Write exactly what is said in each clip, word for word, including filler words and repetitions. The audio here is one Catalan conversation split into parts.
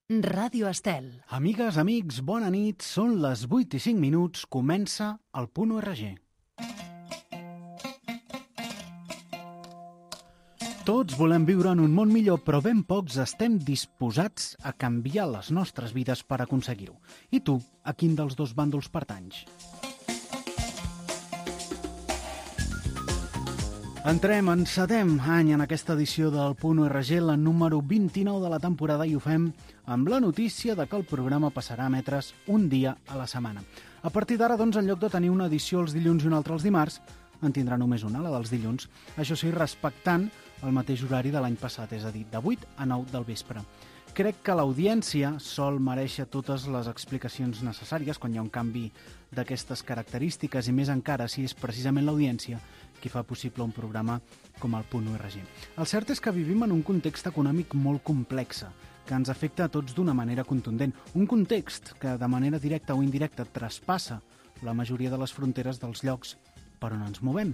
Ràdio Estel. Amigues, amics, bona nit. Són les vuit i cinc minuts. Comença el Punt U R G. Tots volem viure en un món millor, però ben pocs estem disposats a canviar les nostres vides per aconseguir-ho. I tu, a quin dels dos bàndols pertanys? Entrem, encedem any en aquesta edició del Punt U R G, la número vint-i-nou de la temporada, i ho fem amb la notícia de que el programa passarà a emetre's un dia a la setmana. A partir d'ara, doncs, en lloc de tenir una edició els dilluns i una altra els dimarts, en tindrà només una, la dels dilluns, això sí, respectant el mateix horari de l'any passat, és a dir, de vuit a nou del vespre. Crec que l'audiència sol merèixer totes les explicacions necessàries quan hi ha un canvi d'aquestes característiques, i més encara si és precisament l'audiència qui fa possible un programa com el Punt U R G. El cert és que vivim en un context econòmic molt complex, que ens afecta a tots d'una manera contundent. Un context que de manera directa o indirecta traspassa la majoria de les fronteres dels llocs per on ens movem.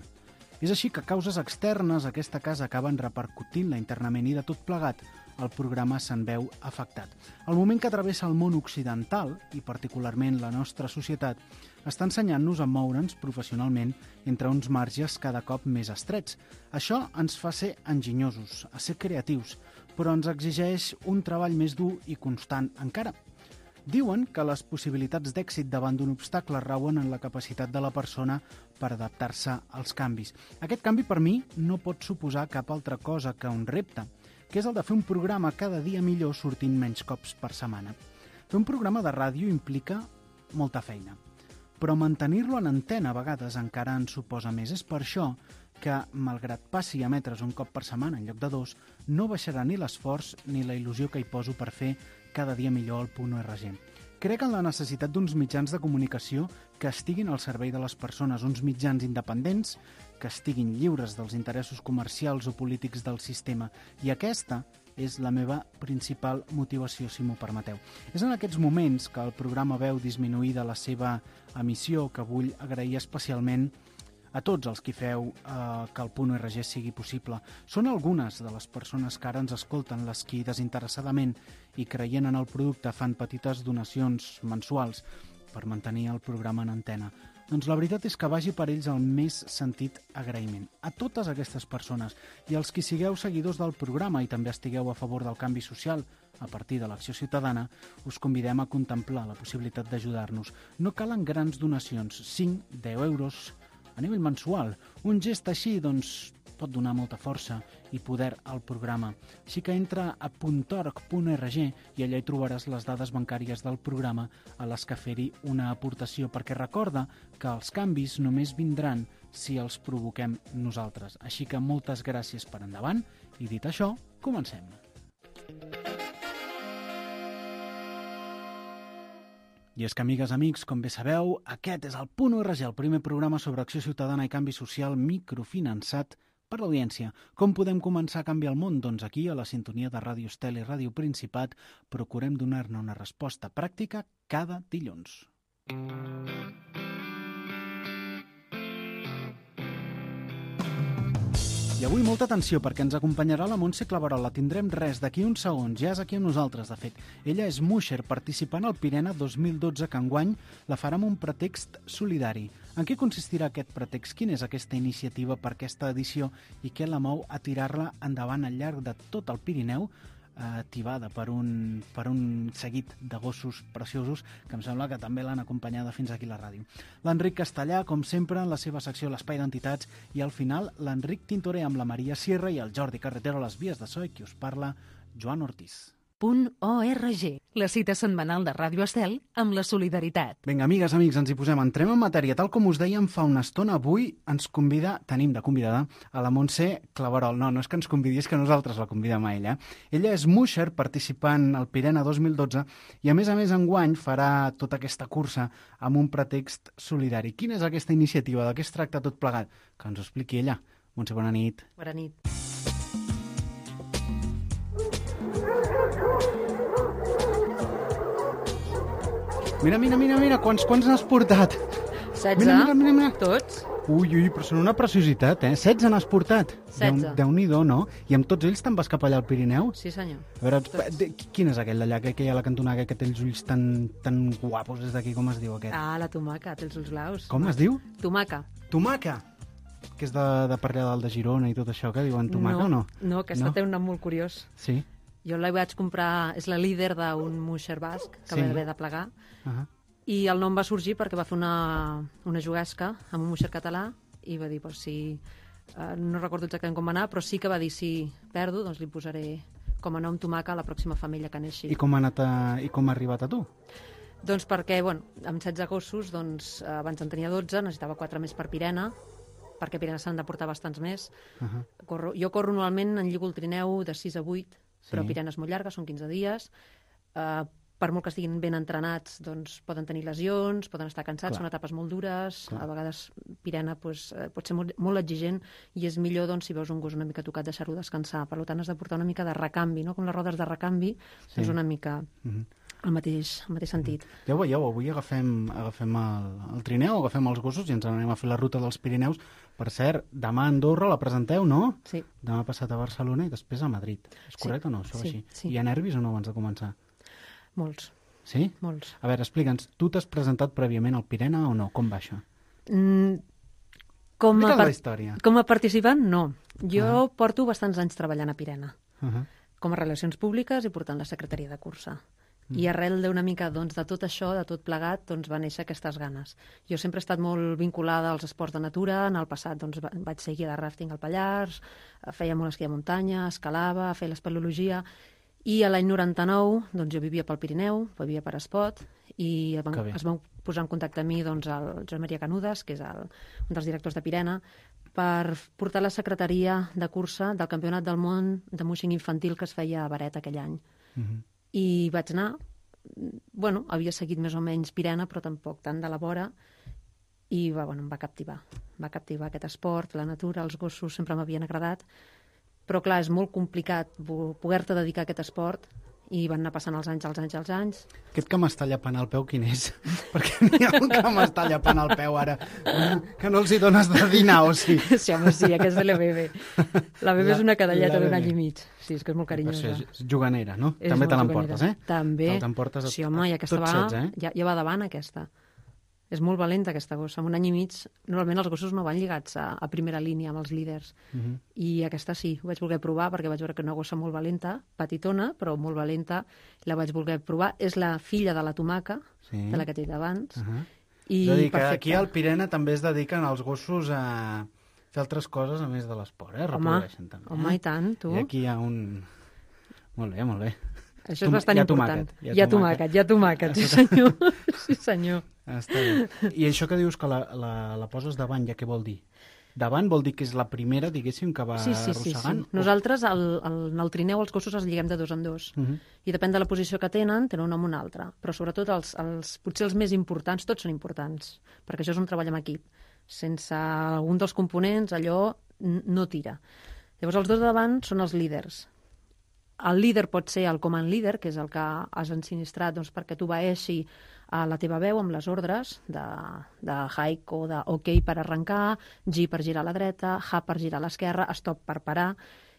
És així que causes externes a aquesta casa acaben repercutint-la internament, i de tot plegat el programa se'n veu afectat. El moment que travessa el món occidental, i particularment la nostra societat, està ensenyant-nos a moure'ns professionalment entre uns marges cada cop més estrets. Això ens fa ser enginyosos, a ser creatius, però ens exigeix un treball més dur i constant encara. Diuen que les possibilitats d'èxit davant d'un obstacle rauen en la capacitat de la persona per adaptar-se als canvis. Aquest canvi, per mi, no pot suposar cap altra cosa que un repte, que és el de fer un programa cada dia millor sortint menys cops per setmana. Fer un programa de ràdio implica molta feina, però mantenir-lo en antena a vegades encara en suposa més. És per això que, malgrat passi a emetre's un cop per setmana en lloc de dos, no baixarà ni l'esforç ni la il·lusió que hi poso per fer cada dia millor el Punt U R G. Crec en la necessitat d'uns mitjans de comunicació que estiguin al servei de les persones, uns mitjans independents que estiguin lliures dels interessos comercials o polítics del sistema, i aquesta és la meva principal motivació, si m'ho permeteu. És en aquests moments que el programa veu disminuïda la seva emissió que vull agrair especialment a tots els que feu eh, que el Punt U R G sigui possible. Són algunes de les persones que ara ens escolten les qui desinteressadament i creient en el producte fan petites donacions mensuals per mantenir el programa en antena. Doncs la veritat és que vagi per ells el més sentit agraïment. A totes aquestes persones, i als qui sigueu seguidors del programa i també estigueu a favor del canvi social a partir de l'acció ciutadana, us convidem a contemplar la possibilitat d'ajudar-nos. No calen grans donacions, cinc, deu euros a nivell mensual. Un gest així, doncs, pot donar molta força i poder al programa. Així que entra a punt org punt org i allà hi trobaràs les dades bancàries del programa a les que fer-hi una aportació, perquè recorda que els canvis només vindran si els provoquem nosaltres. Així que moltes gràcies per endavant, i dit això, comencem. I és que, amigues, amics, com bé sabeu, aquest és el Punt U R G, el primer programa sobre acció ciutadana i canvi social microfinançat per l'audiència. Com podem començar a canviar el món? Doncs aquí, a la sintonia de Ràdio Estel i Ràdio Principat, procurem donar-ne una resposta pràctica cada dilluns. I avui molta atenció, perquè ens acompanyarà la Montse Claverol. La tindrem res d'aquí uns segons, ja és aquí amb nosaltres, de fet. Ella és Musher, participant al Pirena dos mil dotze, que enguany la farà amb un pretext solidari. En què consistirà aquest pretext? Quina és aquesta iniciativa per aquesta edició i què la mou a tirar-la endavant al llarg de tot el Pirineu, tibada per un, per un seguit de gossos preciosos que em sembla que també l'han acompanyada fins aquí a la ràdio. L'Enric Castellà, com sempre, en la seva secció L'Espai d'Entitats, i al final l'Enric Tintoré amb la Maria Sierra i el Jordi Carretero a les vies de so, i qui us parla, Joan Ortiz. Punt O R G, la cita setmanal de Ràdio Estel amb la solidaritat. Vinga, amigues, amics, ens hi posem. Entrem en matèria. Tal com us dèiem fa una estona, avui ens convida, tenim de convidada, a la Montse Claverol. No, no és que ens convidi, és que nosaltres la convidem a ella. Ella és Musher, participant al Pirena dos mil dotze, i a més a més enguany farà tota aquesta cursa amb un pretext solidari. Quina és aquesta iniciativa? De què es tracta tot plegat? Que ens ho expliqui ella. Montse, bona nit. Bona nit. Mira, mira, mira, mira, quants, quants n'has portat? setze? Mira, mira, mira, mira. Tots? Ui, ui, però són una preciositat, eh? setze n'has portat. setze. Déu-n'hi-do, no? I amb tots ells te'n vas cap allà al Pirineu? Sí, senyor. A veure, de, quin és aquell d'allà, que, que hi ha a la cantonada, que té els ulls tan, tan guapos des d'aquí, com es diu aquest? Ah, la tomaca, té els ulls blaus. Com es diu? Tomaca. Tomaca! Que és de, de per allà dalt de Girona i tot això, que diuen tomaca no, o no? No, aquesta No? té un nom molt curiós. Sí? Jo la vaig comprar, és la líder d'un musher basc, que Sí. va haver de plegar, Uh -huh. i el nom va sorgir perquè va fer una, una juguesca amb un musher català i va dir, pues, si, eh, no recordo exactament com va anar, però sí que va dir, si perdo, doncs li posaré com a nom tomaca a la pròxima femella que neixi. I com ha, anat a, i com ha arribat a tu? Doncs perquè, bueno, amb setze gossos, doncs, eh, abans en tenia dotze, necessitava quatre més per Pirena, perquè a Pirena s'han de portar bastants més. Uh -huh. Corro, jo corro normalment, en lligo el trineu de sis a vuit, Sí. però Pirena és molt llarga, són quinze dies. Uh, per molt que estiguin ben entrenats, doncs poden tenir lesions, poden estar cansats, Clar. són etapes molt dures, Clar. a vegades Pirena pues, eh, pot ser molt, molt exigent i és millor, doncs, si veus un gos una mica tocat, deixar-ho descansar. Per tant, has de portar una mica de recanvi, no? Com les rodes de recanvi, Sí. doncs una mica Uh -huh. el mateix, el mateix sentit. Ja ho veieu, avui agafem, agafem el, el trineu, agafem els gossos i ens anem a fer la ruta dels Pirineus. Per cert, demà a Andorra la presenteu, no? Sí. Demà passat a Barcelona i després a Madrid. És Sí. correcte o no, això Sí, així? sí. Hi ha nervis o no abans de començar? Molts, Sí? molts. A veure, explica'ns, tu t'has presentat prèviament al Pirena o no? Com va això? Mm, com, a Explica'ns par- la història. com a participant, no. Jo porto bastants anys treballant a Pirena, Uh -huh. com a relacions públiques i portant la secretaria de cursa. I arrel d'una mica doncs, de tot això, de tot plegat, doncs, va néixer aquestes ganes. Jo sempre he estat molt vinculada als esports de natura. En el passat doncs, va- vaig ser guia de ràfting al Pallars, eh, feia molt esquí de muntanya, escalava, feia l'espeleologia. I a l'any noranta-nou doncs, jo vivia pel Pirineu, vivia per Espot, i es Que van, bé. es van posar en contacte amb mi doncs, el Joan Maria Canudes, que és el, un dels directors de Pirena, per portar la secretaria de cursa del Campionat del Món de Muixing Infantil que es feia a Baret aquell any. Uh -huh. I vaig anar, bueno, havia seguit més o menys Pirena, però tampoc tant de la vora, i va, bueno, em va captivar. Em va captivar aquest esport, la natura, els gossos sempre m'havien agradat, però clar, és molt complicat vo- poder-te dedicar a aquest esport, i van anar passant els anys, els anys, els anys. Aquest que m'està llapant el peu, quin és? Perquè n'hi ha un que m'està llapant el peu ara, que no els hi dones de dinar, o sí? Sí, home, sí, aquest és la Bebe. La Bebe La- és una cadelleta la d'un Bebe. any i mig. Sí, és que és molt Per carinyosa. això és juganera, no? És També te molt l'emportes, juganera. eh? També. Te l'emportes a- Sí, home, i aquesta tot va, setze, eh? ja, ja va davant, aquesta. És molt valenta, aquesta gossa. En un any i mig, normalment els gossos no van lligats a, a primera línia amb els líders. Uh -huh. I aquesta sí, ho vaig voler provar perquè vaig veure que una gossa molt valenta, petitona, però molt valenta, la vaig voler provar. És la filla de la tomaca, Sí. de la que t'he dit abans. Uh -huh. I És a dir, que perfecte. aquí al Pirena també es dediquen els gossos a fer altres coses a més de l'esport, eh? Home, Reprodueixen també. home, eh? i tant, tu. I aquí hi ha un... Molt bé, molt bé. Això és Tom- bastant hi ha important. tomàquet, hi ha Hi ha tomàquet. tomàquet, hi ha tomàquet, sí senyor. Sí senyor. Està bé. I això que dius que la, la, la poses davant, ja què vol dir? Davant vol dir que és la primera, diguéssim, que va Sí, sí, sí, sí. arrossegant? Nosaltres, al, al, en el trineu, els gossos els lliguem de dos en dos. Uh -huh. I depèn de la posició que tenen, tenen un nom o un altre. Però sobretot, els, els, potser els més importants, tots són importants, perquè això és un treball en equip. Sense algun dels components, allò n- no tira. Llavors, els dos de davant són els líders. El líder pot ser el command leader, que és el que has ensinistrat doncs, perquè tu vaeixi a la teva veu amb les ordres de, de hike o de ok per arrencar, G per girar a la dreta, H per girar a l'esquerra, stop per parar.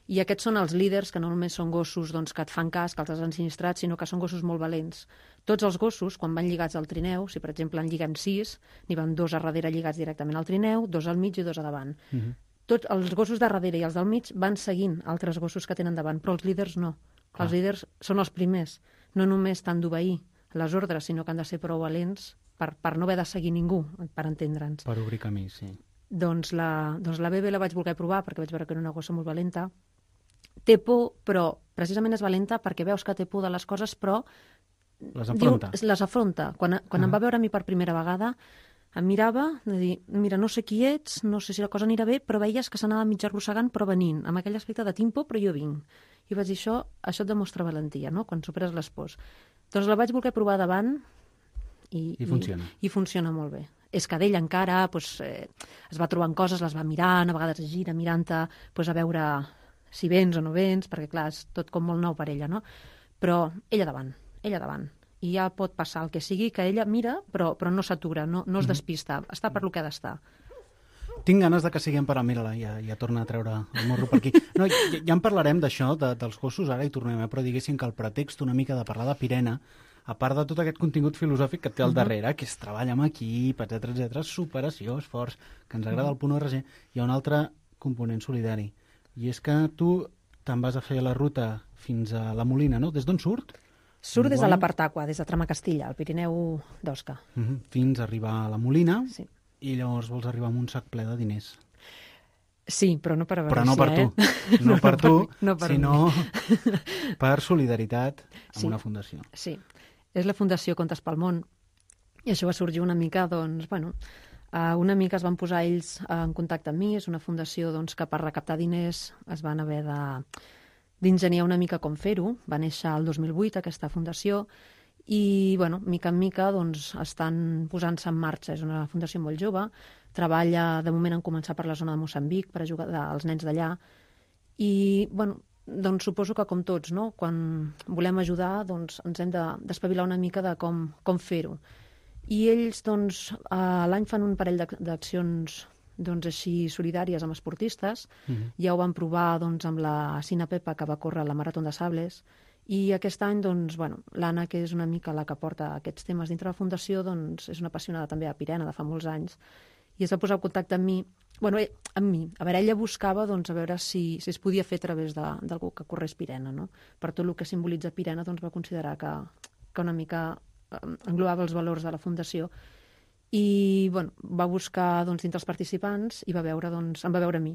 I aquests són els líders, que no només són gossos doncs, que et fan cas, que els has ensinistrat, sinó que són gossos molt valents. Tots els gossos, quan van lligats al trineu, si per exemple en lliguem sis, n'hi van dos a darrere lligats directament al trineu, dos al mig i dos a davant. Uh -huh. Tots els gossos de darrere i els del mig van seguint altres gossos que tenen davant, però els líders no. Clar. Els líders són els primers. No només t'han d'obeir les ordres, sinó que han de ser prou valents per, per no haver de seguir ningú, per entendre'ns. Per obrir camí, sí. Doncs la, doncs la Bebe la vaig voler provar perquè vaig veure que era una gossa molt valenta. Té por, però precisament és valenta perquè veus que té por de les coses, però Les enfronta. Diu, les afronta. Quan, quan Ah. em va veure a mi per primera vegada, em mirava, de dir, mira, no sé qui ets, no sé si la cosa anirà bé, però veies que s'anava mig arrossegant, però venint, amb aquell aspecte de tinc por, però jo vinc. I vaig dir, això, això et demostra valentia, no?, quan superes les pors. Doncs la vaig voler provar davant i, I funciona. I, i funciona molt bé. És que d'ell encara doncs, eh, es va trobant coses, les va mirant, a vegades es gira mirant-te doncs, a veure si vens o no vens, perquè clar, és tot com molt nou per ella, no? Però ella davant, ella davant. I ja pot passar el que sigui, que ella mira, però, però no s'atura, no, no es despista, està per lo que ha d'estar. Tinc ganes de que siguem per a... Mira-la, ja, ja torna a treure el morro per aquí. No, ja, ja en parlarem d'això, de, dels gossos, ara hi tornem, eh? Però diguéssim que el pretext una mica de parlar de Pirena, a part de tot aquest contingut filosòfic que té al darrere, que és treball amb equip, etcètera, etcètera, superació, esforç, que ens agrada el punt R G, hi ha un altre component solidari. I és que tu te'n vas a fer la ruta fins a la Molina, no? Des d'on surt? Surt des de la Partaqua, des de Tramacastilla, al Pirineu d'Osca. Uh-huh. Fins a arribar a la Molina, sí. I llavors vols arribar amb un sac ple de diners. Sí, però no per a Però no per eh? tu, no, no per tu, no per sinó per solidaritat amb sí. una fundació. Sí, és la Fundació Contes pel Món, i això va sorgir una mica, doncs, bueno, uh, una mica es van posar ells en contacte amb mi, és una fundació doncs, que per recaptar diners es van haver de d'ingeniar una mica com fer-ho. Va néixer el dos mil vuit aquesta fundació i, bueno, mica en mica doncs, estan posant-se en marxa. És una fundació molt jove, treballa, de moment han començat per la zona de Moçambic per ajudar als nens d'allà i, bueno, doncs suposo que com tots, no? Quan volem ajudar doncs ens hem d'espavilar una mica de com, com fer-ho. I ells doncs, a l'any fan un parell d'accions doncs, així solidàries amb esportistes. Uh-huh. Ja ho van provar doncs, amb la Sina Pepa, que va córrer la Marató de Sables, i aquest any doncs, bueno, l'Anna, que és una mica la que porta aquests temes dintre la fundació, doncs, és una apassionada també a Pirena de fa molts anys, i es va posar en contacte amb mi, bueno, eh, amb mi. A veure, ella buscava doncs, a veure si, si es podia fer a través d'algú que corrés Pirena, no? Per tot el que simbolitza Pirena doncs, va considerar que, que una mica englobava els valors de la fundació i bueno, va buscar doncs, dintre els participants i va veure, doncs, em va veure a mi.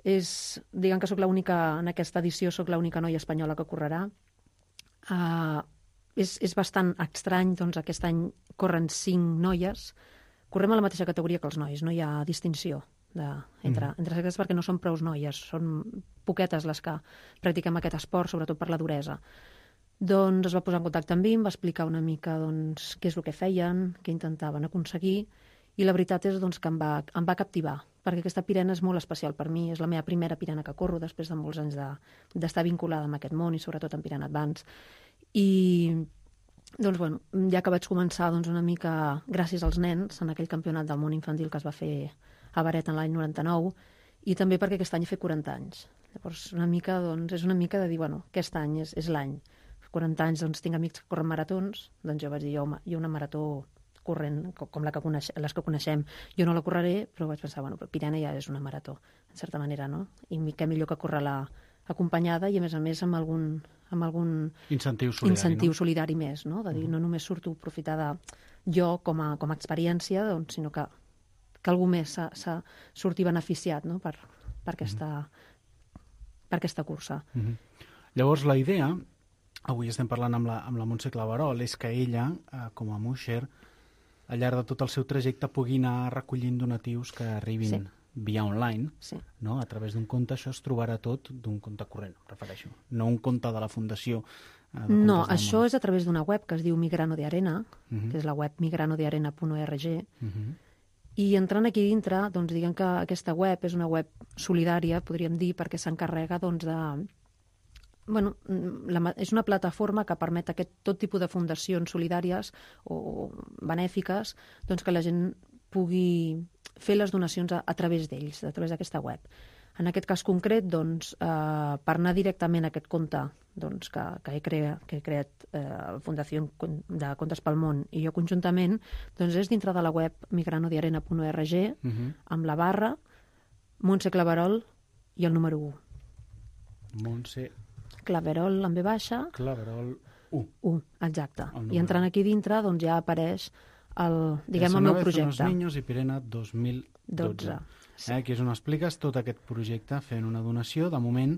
És, diguem que soc l'única, en aquesta edició soc l'única noia espanyola que correrà. Uh, és, és bastant estrany, doncs aquest any corren cinc noies, correm a la mateixa categoria que els nois, no hi ha distinció de, entre, mm. entre sexes perquè no són prou noies, són poquetes les que practiquem aquest esport, sobretot per la duresa. Doncs es va posar en contacte amb mi, em va explicar una mica doncs, què és el que feien, què intentaven aconseguir, i la veritat és doncs, que em va, em va captivar, perquè aquesta Pirena és molt especial per mi, és la meva primera Pirena que corro després de molts anys d'estar de, vinculada amb aquest món i sobretot en Pirena Advance. I doncs, bueno, ja que vaig començar doncs, una mica gràcies als nens en aquell campionat del món infantil que es va fer a Baret en l'any noranta-nou, i també perquè aquest any he fet quaranta anys. Llavors, una mica, doncs, és una mica de dir, bueno, aquest any és, és l'any. quaranta anys, doncs, tinc amics que corren maratons, doncs jo vaig dir, jo, jo una marató corrent, com la que coneix, les que coneixem, jo no la correré, però vaig pensar, bueno, però Pirena ja és una marató, en certa manera, no? I què millor que córrer-la acompanyada i, a més a més, amb algun, amb algun incentiu solidari, incentiu no? solidari més, no? De dir, uh-huh. no només surto a aprofitar de jo com a, com a experiència, doncs, sinó que, que algú més s'ha sortit beneficiat, no? per, per, aquesta, uh-huh. per aquesta cursa. Uh-huh. Llavors, la idea, avui estem parlant amb la, amb la Montse Claverol, és que ella, eh, com a Musher, al llarg de tot el seu trajecte pugui anar recollint donatius que arribin sí. via online, sí. no? A través d'un compte. Això es trobarà tot d'un compte corrent, em refereixo. No un compte de la Fundació. Eh, de no, això és a través d'una web que es diu Migrano de Arena, uh-huh. que és la web migrano de arena punt org, uh-huh. i entrant aquí dintre, doncs diguem que aquesta web és una web solidària, podríem dir, perquè s'encarrega doncs, de... Bueno, la, és una plataforma que permet aquest tot tipus de fundacions solidàries o benèfiques doncs que la gent pugui fer les donacions a, a través d'ells, a través d'aquesta web. En aquest cas concret, doncs, eh, per anar directament a aquest compte doncs, que, que, he creat, que he creat eh, Fundació de Contes pel Món i jo conjuntament, doncs és dintre de la web migrano de arena punt org, uh-huh. amb la barra Montse Claverol i el número u. Montse Claverol amb ve baixa. Claverol u. u, exacte. I entrant aquí dintre doncs ja apareix el, diguem, el meu projecte. Els Niños i Pirena dos mil dotze. Sí. Eh, aquí és on expliques tot aquest projecte fent una donació. De moment,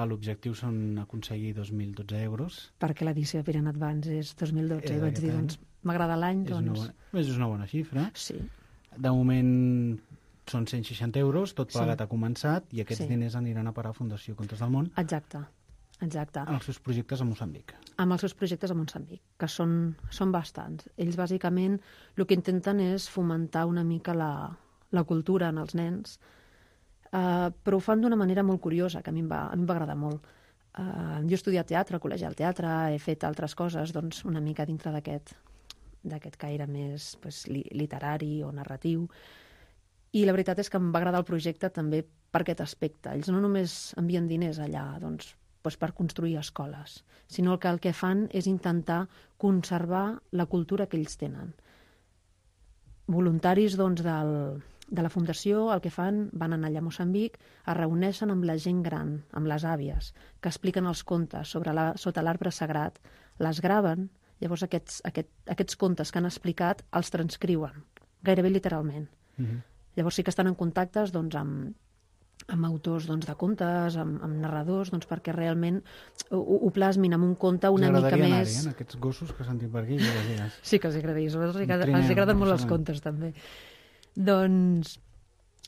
l'objectiu són aconseguir dos mil dotze euros. Perquè l'edició de Pirena Advance és dos mil dotze. I vaig dir, doncs, m'agrada l'any, doncs... És una, bona, és una bona xifra. Sí. De moment són cent seixanta euros, tot plegat sí. ha començat, i aquests sí. diners aniran a parar a Fundació Contes del Món. Exacte. Exacte. Amb els seus projectes a Moçambic. Amb els seus projectes a Moçambic, que són, són bastants. Ells, bàsicament, el que intenten és fomentar una mica la, la cultura en els nens, uh, però ho fan d'una manera molt curiosa, que a mi em va, a mi em va agradar molt. Uh, jo he estudiat teatre, al col·legi al teatre, he fet altres coses, doncs, una mica dintre d'aquest d'aquest caire més pues, li, literari o narratiu, I la veritat és que em va agradar el projecte també per aquest aspecte. Ells no només envien diners allà doncs, doncs per construir escoles, sinó que el que fan és intentar conservar la cultura que ells tenen. Voluntaris doncs, del, de la Fundació el que fan, van anar allà a Moçambic, es reuneixen amb la gent gran, amb les àvies, que expliquen els contes sobre la, sota l'arbre sagrat, les graven, llavors aquests, aquest, aquests contes que han explicat els transcriuen, gairebé literalment. Mm-hmm. Llavors sí que estan en contactes doncs, amb, amb autors doncs, de contes, amb, amb narradors, doncs, perquè realment ho, ho plasmin amb un conte una mica més... M'agradaria anar-hi, eh, aquests gossos que sentim per aquí. Ja sí que els agradaria, els, agrada, els agraden molt els contes, també. Doncs,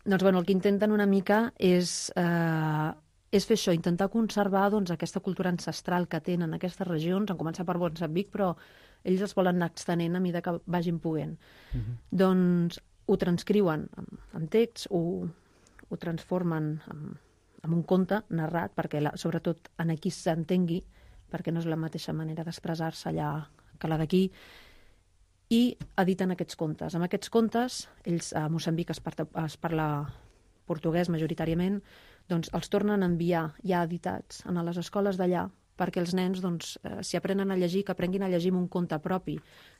doncs bueno, el que intenten una mica és, eh, és fer això, intentar conservar doncs, aquesta cultura ancestral que tenen aquestes regions, han començat per Moçambic, però ells es volen anar extenent a mesura que vagin poguent. Uh-huh. Doncs ho transcriuen en text, ho, ho transformen en, en un conte narrat, perquè la, sobretot en aquí s'entengui, perquè no és la mateixa manera d'expressar-se allà que la d'aquí, i editen aquests contes. Amb aquests contes, ells a Moçambic es, parla, es parla portuguès majoritàriament, doncs els tornen a enviar ja editats a les escoles d'allà, perquè els nens, doncs, eh, si aprenen a llegir, que aprenguin a llegir amb un conte propi,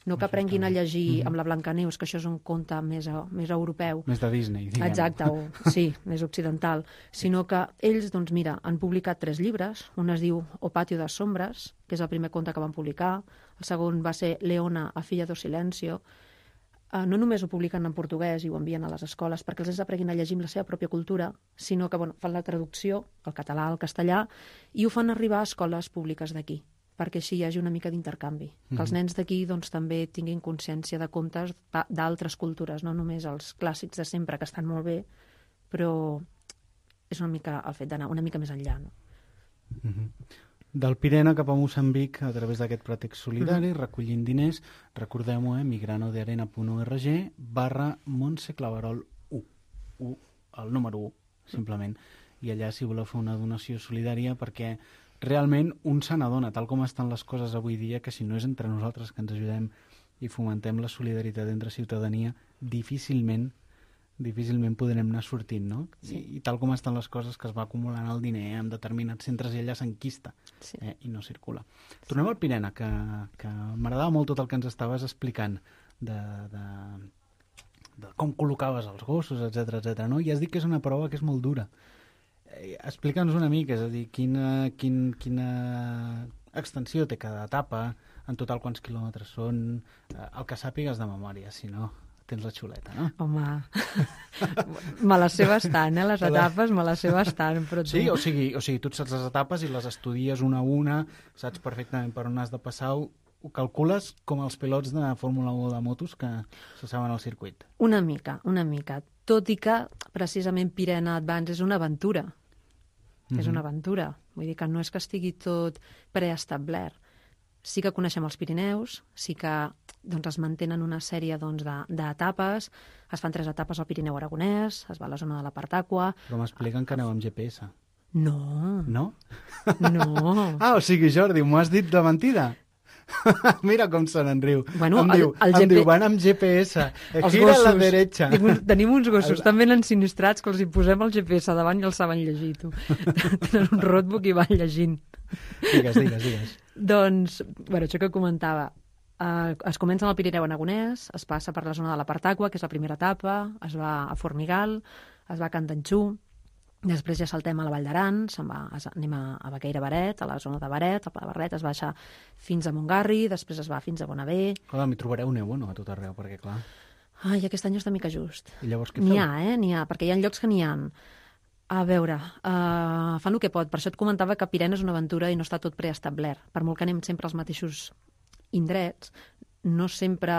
no que aprenguin a llegir mm-hmm. amb la Blancaneus, que això és un conte més, més europeu. Més de Disney, diguem. Exacte, o, sí, més occidental. Sinó que ells, doncs mira, han publicat tres llibres. Un es diu O Patio das Sombras, que és el primer conte que van publicar. El segon va ser Leona, a filla do silencio. Uh, no només ho publiquen en portuguès i ho envien a les escoles perquè els nens aprenguin a llegir amb la seva pròpia cultura, sinó que bueno, fan la traducció al català, al castellà, i ho fan arribar a escoles públiques d'aquí, perquè així hi hagi una mica d'intercanvi. Mm-hmm. Que els nens d'aquí doncs, també tinguin consciència de contes d'altres cultures, no només els clàssics de sempre, que estan molt bé, però és una mica el fet d'anar una mica més enllà. No? Mm-hmm. Del Pirena cap a Moçambic a través d'aquest pretext solidari, mm-hmm. recollint diners, recordem-ho, eh, migranodearena.org barra Montse Claverol u, u, el número u, simplement. I allà si voleu fer una donació solidària, perquè realment un se n'adona, tal com estan les coses avui dia, que si no és entre nosaltres que ens ajudem i fomentem la solidaritat entre ciutadania, difícilment difícilment podrem anar sortint, no? Sí. I, I tal com estan les coses, que es va acumulant el diner en determinats centres i allà s'enquista sí. eh, i no circula. Sí. Tornem al Pirena, que, que m'agradava molt tot el que ens estaves explicant de, de, de com col·locaves els gossos, etcètera, etcètera, no? I has dit que és una prova que és molt dura. Eh, Explica'ns una mica, és a dir, quina, quin, quina extensió té cada etapa, en total quants quilòmetres són, eh, el que sàpigues de memòria, si no... tens la xuleta, no? Home, me les sé bastant, eh? Les etapes me les sé bastant, però tu... Sí, o sigui, o sigui, tu et saps les etapes i les estudies una a una, saps perfectament per on has de passar, ho, ho calcules com els pilots de Fórmula u de motos que se saben al circuit. Una mica, una mica. Tot i que, precisament, Pirena Advance és una aventura. Mm-hmm. És una aventura. Vull dir que no és que estigui tot preestablert. Sí que coneixem els Pirineus, sí que doncs, es mantenen una sèrie doncs, d'etapes, es fan tres etapes al Pirineu Aragonès, es va a la zona de la Partàqua... Però m'expliquen que aneu amb G P S. No. No? No. Ah, o sigui, Jordi, m'ho has dit de mentida? Mira com se n'enriu. Bueno, em el, diu, el em G P... diu, van amb G P S. Els Gira gossos. a la derecha. Tenim uns gossos tan ben ensinistrats que els hi posem el G P S davant i els saben llegir, tu. Tenen un roadbook i van llegint. Digues, digues, digues. Doncs, bueno, això que comentava, eh, es comença al Pirineu Aragonès, es passa per la zona de la Partàqua, que és la primera etapa, es va a Formigal, es va a Candanxú, després ja saltem a la Vall d'Aran, se'n va, es, anem a, a Baqueira Baret, a la zona de Baret, a Pla de Barret, es baixa fins a Montgarri, després es va fins a Bonavé. Clar, m'hi trobareu neu, no?, a tot arreu, perquè clar... Ai, aquest any està mica just. I llavors què feu? N'hi ha, eh, n'hi ha, perquè hi ha llocs que n'hi ha. A veure, uh, fan el que pot. Per això et comentava que Pirena és una aventura i no està tot preestablert. Per molt que anem sempre als mateixos indrets, no sempre...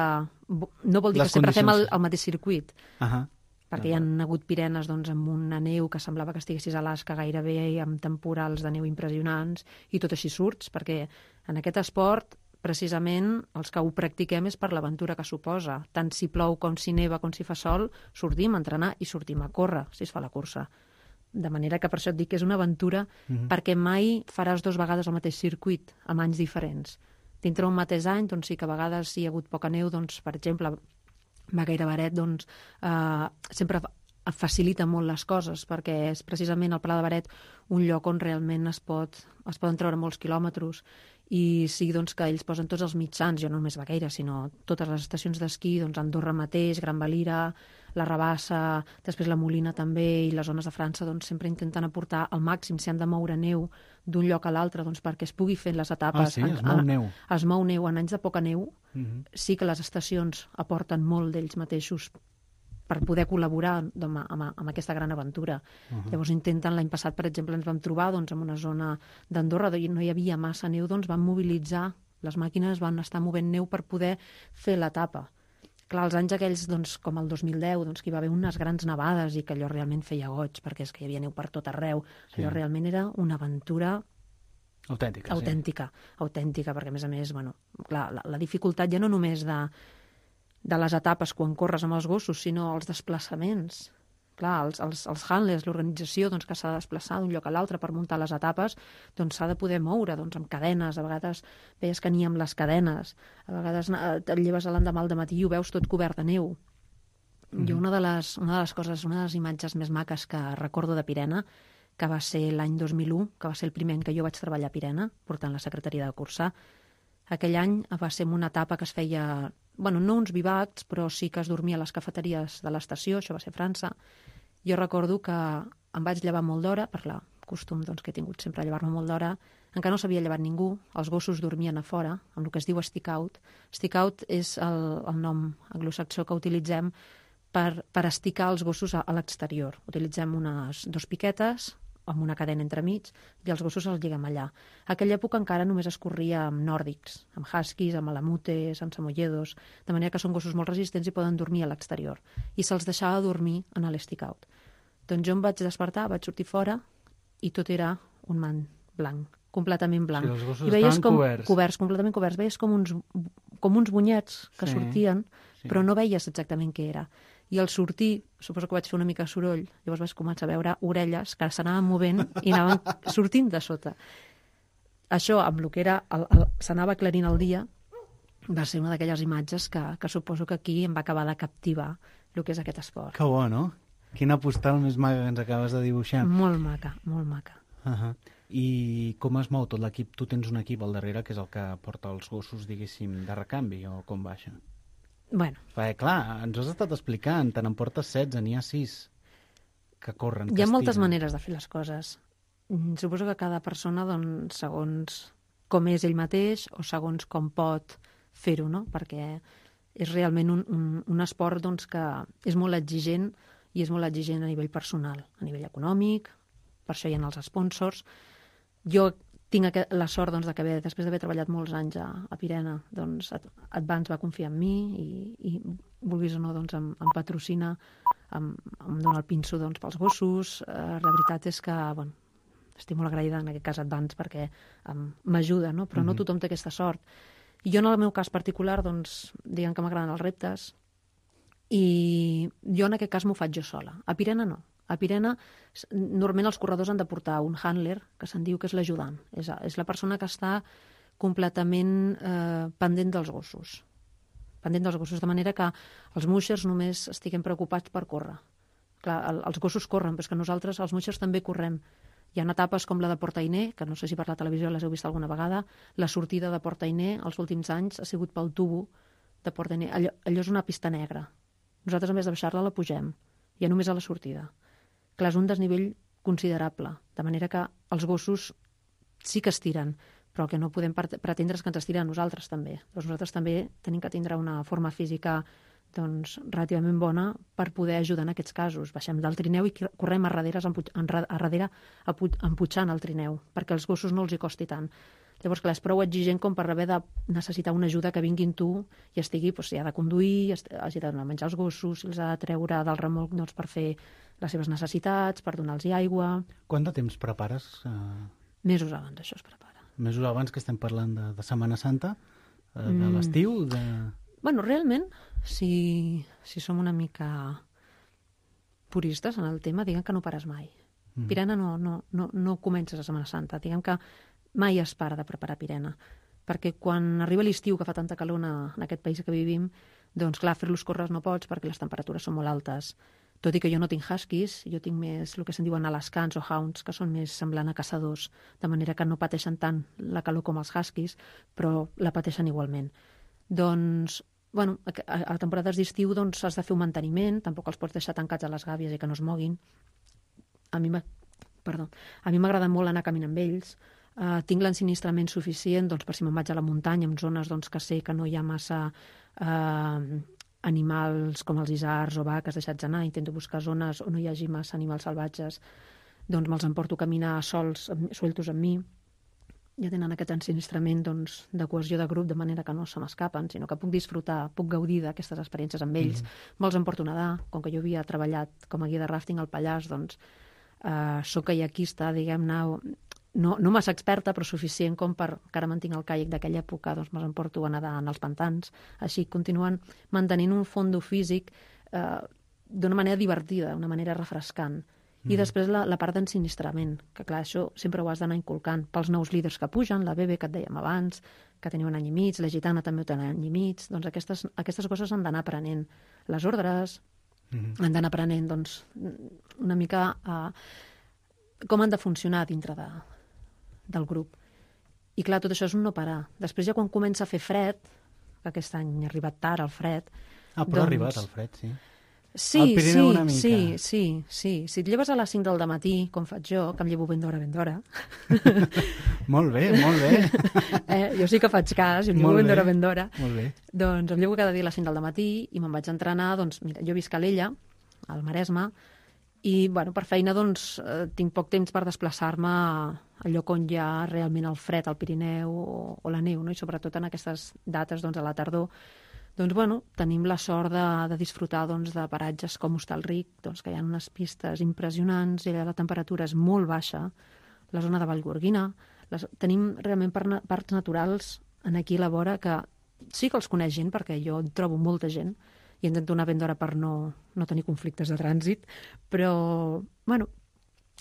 No vol dir Les que sempre condicions... fem el, el mateix circuit. Uh -huh. Perquè hi ha hagut Pirenes doncs, amb una neu que semblava que estiguessis a Alaska gairebé i amb temporals de neu impressionants i tot així surts, perquè en aquest esport precisament els que ho practiquem és per l'aventura que suposa. Tant si plou com si neva com si fa sol, sortim a entrenar i sortim a córrer si es fa la cursa. De manera que per això et dic que és una aventura mm-hmm. perquè mai faràs dues vegades el mateix circuit amb anys diferents. Dintre un mateix any, doncs sí que a vegades si hi ha hagut poca neu, doncs, per exemple, Baqueira Baret, doncs, eh, sempre facilita molt les coses, perquè és precisament el Pla de Beret un lloc on realment es, pot, es poden treure molts quilòmetres, i sí doncs, que ells posen tots els mitjans, jo no només Vaqueira, sinó totes les estacions d'esquí, doncs Andorra mateix, Gran Valira, la Rabassa, després la Molina també, i les zones de França doncs, sempre intenten aportar al màxim, si han de moure neu d'un lloc a l'altre, doncs, perquè es pugui fer les etapes. Ah, sí? Es mou neu. En, es mou neu. En anys de poca neu, Uh-huh. sí que les estacions aporten molt d'ells mateixos per poder col·laborar amb, amb, amb aquesta gran aventura. Uh-huh. Llavors intenten, l'any passat, per exemple, ens vam trobar doncs, en una zona d'Andorra, on no hi havia massa neu, doncs van mobilitzar, les màquines van estar movent neu per poder fer l'etapa. Clar, els anys aquells, doncs, com el dos mil deu, doncs, que hi va haver unes grans nevades i que allò realment feia goig, perquè és que hi havia neu per tot arreu. Sí. Allò realment era una aventura autèntica, autèntica, sí. autèntica, perquè a més a més, bueno, clar, la, la dificultat ja no només de, de les etapes quan corres amb els gossos, sinó els desplaçaments. Clar, els, els, els handlers, l'organització doncs, que s'ha de desplaçar d'un lloc a l'altre per muntar les etapes, doncs s'ha de poder moure doncs, amb cadenes. A vegades veies que n'hi ha amb les cadenes, a vegades et lleves l'endemà al dematí i ho veus tot cobert de neu. Mm-hmm. Jo una de, les, una de les coses, una de les imatges més maques que recordo de Pirena, que va ser l'any dos mil u, que va ser el primer any que jo vaig treballar a Pirena, portant la secretaria de cursar. Aquell any va ser en una etapa que es feia, bueno, no uns bivacs, però sí que es dormia a les cafeteries de l'estació, això va ser a França. Jo recordo que em vaig llevar molt d'hora, per la costum doncs, que he tingut sempre a llevar-me molt d'hora, encara no s'havia llevat ningú, els gossos dormien a fora, amb el que es diu stick out. Stick out és el, el nom anglosaxó que utilitzem per, per esticar els gossos a, a l'exterior. Utilitzem unes dos piquetes, amb una cadena entremig, i els gossos els lliguem allà. A aquella època encara només es corria amb nòrdics, amb huskies, amb alamutes, amb samoyedos, de manera que són gossos molt resistents i poden dormir a l'exterior. I se'ls deixava dormir en l'stick out. Doncs jo em vaig despertar, vaig sortir fora, i tot era un mant blanc, completament blanc. Sí, els gossos I veies estaven com, coberts. Coberts, completament coberts. Veies com uns, com uns bunyets que Sí, sortien, sí. però no veies exactament què era. I al sortir, suposo que vaig fer una mica de soroll, llavors vaig començar a veure orelles que s'anaven movent i anaven sortint de sota. Això, amb el que era, el, el, s'anava aclarint el dia, va ser una d'aquelles imatges que, que suposo que aquí em va acabar de captivar el que és aquest esport. Que bo, no? Quina postal més maca que ens acabes de dibuixar. Molt maca, molt maca. Uh-huh. I com es mou tot l'equip? Tu tens un equip al darrere que és el que porta els gossos, diguéssim, de recanvi, o com va això? Bueno. Perquè, clar, ens ho has estat explicant, te n'emportes setze, n'hi ha sis que corren, que Hi ha moltes estiren. maneres de fer les coses. Mm, Suposo que cada persona, doncs, segons com és ell mateix o segons com pot fer-ho, no? Perquè és realment un, un, un esport doncs, que és molt exigent, i és molt exigent a nivell personal, a nivell econòmic, per això hi ha els sponsors. Jo tinc aquest, la sort doncs, de que després d'haver treballat molts anys a, a Pirena, doncs, Advance va confiar en mi i, i vulguis o no, doncs, em, em patrocina, em, em dona el pinso doncs, pels gossos. Eh, la veritat és que, bueno, estic molt agraïda en aquest cas Advance perquè um, m'ajuda, no? Però no tothom té aquesta sort. I jo en el meu cas particular, doncs, diguem que m'agraden els reptes, i jo en aquest cas m'ho faig jo sola. A Pirena no. A Pirena, normalment els corredors han de portar un handler, que se'n diu que és l'ajudant. És, és la persona que està completament eh, pendent dels gossos. Pendent dels gossos, de manera que els muixers només estiguem preocupats per córrer. Clar, el, els gossos corren, però és que nosaltres, els muixers, també correm. Hi ha etapes com la de Port-Ainé, que no sé si per la televisió les heu vist alguna vegada. La sortida de Port-Ainé, els últims anys, ha sigut pel tubo de Port-Ainé. Allò, allò és una pista negra. Nosaltres, a més de baixar-la, la pugem. Ja només a la sortida. Clar, és un desnivell considerable, de manera que els gossos sí que estiren, però el que no podem pretendre és que ens estiren a nosaltres també. Doncs nosaltres també tenim que tindre una forma física doncs, relativament bona per poder ajudar en aquests casos. Baixem del trineu i correm a darrere, a darrere emputxant el trineu, perquè als gossos no els hi costi tant. Llavors, clar, és prou exigent com per haver de necessitar una ajuda que vinguin tu i estigui, doncs, si ha de conduir, hagi de donar menjar als gossos, si els ha de treure del remolc doncs, per fer les seves necessitats, per donar-los aigua. Quant de temps prepares? Uh... Mesos abans, això es prepara. Mesos abans, que estem parlant de, de Setmana Santa, uh, de mm. l'estiu? De... Bueno, realment, si, si som una mica puristes en el tema, diguem que no pares mai. Mm. Pirena no, no, no, no comences a Setmana Santa. Diguem que mai es para de preparar Pirena, perquè quan arriba l'estiu, que fa tanta calor en aquest país que vivim, doncs clar, fer-los córrer no pots perquè les temperatures són molt altes. tot i que jo no tinc huskies, jo tinc més el que se'n diuen alascans o hounds, que són més semblant a caçadors, de manera que no pateixen tant la calor com els huskies, però la pateixen igualment. Doncs, bueno, a, a temporades d'estiu doncs, has de fer un manteniment, tampoc els pots deixar tancats a les gàbies i que no es moguin. A mi m'ha... Perdó. A mi m'agrada molt anar a caminar amb ells. Uh, tinc l'ensinistrament suficient doncs, per si me'n vaig a la muntanya, en zones doncs, que sé que no hi ha massa uh, animals com els isards o vaques deixats anar. Intento buscar zones on no hi hagi massa animals salvatges. Doncs me'ls emporto a caminar sols, sueltos amb mi. Ja tenen aquest ensinistrament doncs, de cohesió de grup, de manera que no se m'escapen, sinó que puc disfrutar, puc gaudir d'aquestes experiències amb ells. Mm-hmm. Me'ls emporto a nedar. Com que jo havia treballat com a guia de ràfting al Pallars, doncs Uh, soc kaiaquista, diguem-ne, no, no massa experta, però suficient com per que ara mantinc el caiac d'aquella època, doncs me'ls emporto a nedar en els pantans. Així continuen mantenint un fondo físic uh, d'una manera divertida, d'una manera refrescant. Mm. I després la, la part d'ensinistrament, que clar, això sempre ho has d'anar inculcant pels nous líders que pugen, la Bebe, que et dèiem abans, que tenia un any i mig, la Gitana també té un any i mig, doncs aquestes, aquestes coses han d'anar aprenent. Les ordres, Mm-hmm. han d'anar aprenent doncs, una mica uh, com han de funcionar dintre de, del grup. I clar, tot això és un no parar. Després ja quan comença a fer fred, que aquest any ha arribat tard el fred... Ah, però doncs... ha arribat el fred, sí. Sí, sí, sí, sí, sí. Si et lleves a les cinc del matí, com faig jo, que em llevo ben d'hora, ben d'hora... Molt bé, molt bé. eh, jo sí que faig cas, jo em llevo ben d'hora, ben d'hora. Molt bé. Doncs em llevo cada dia a les cinc del matí i me'n vaig entrenar, doncs, mira, jo visc a l'Ella, al Maresme, i, bueno, per feina, doncs, eh, tinc poc temps per desplaçar-me al lloc on hi ha realment el fred, al Pirineu o, o la neu, no? I sobretot en aquestes dates, doncs, a la tardor, doncs, bueno, tenim la sort de, de disfrutar doncs, de paratges com Hostalric, doncs, que hi ha unes pistes impressionants i la temperatura és molt baixa, la zona de Vallgorguina. Les, tenim realment par, parcs naturals en aquí a la vora que sí que els coneix gent, perquè jo trobo molta gent i intento anar ben d'hora per no, no tenir conflictes de trànsit, però, bueno,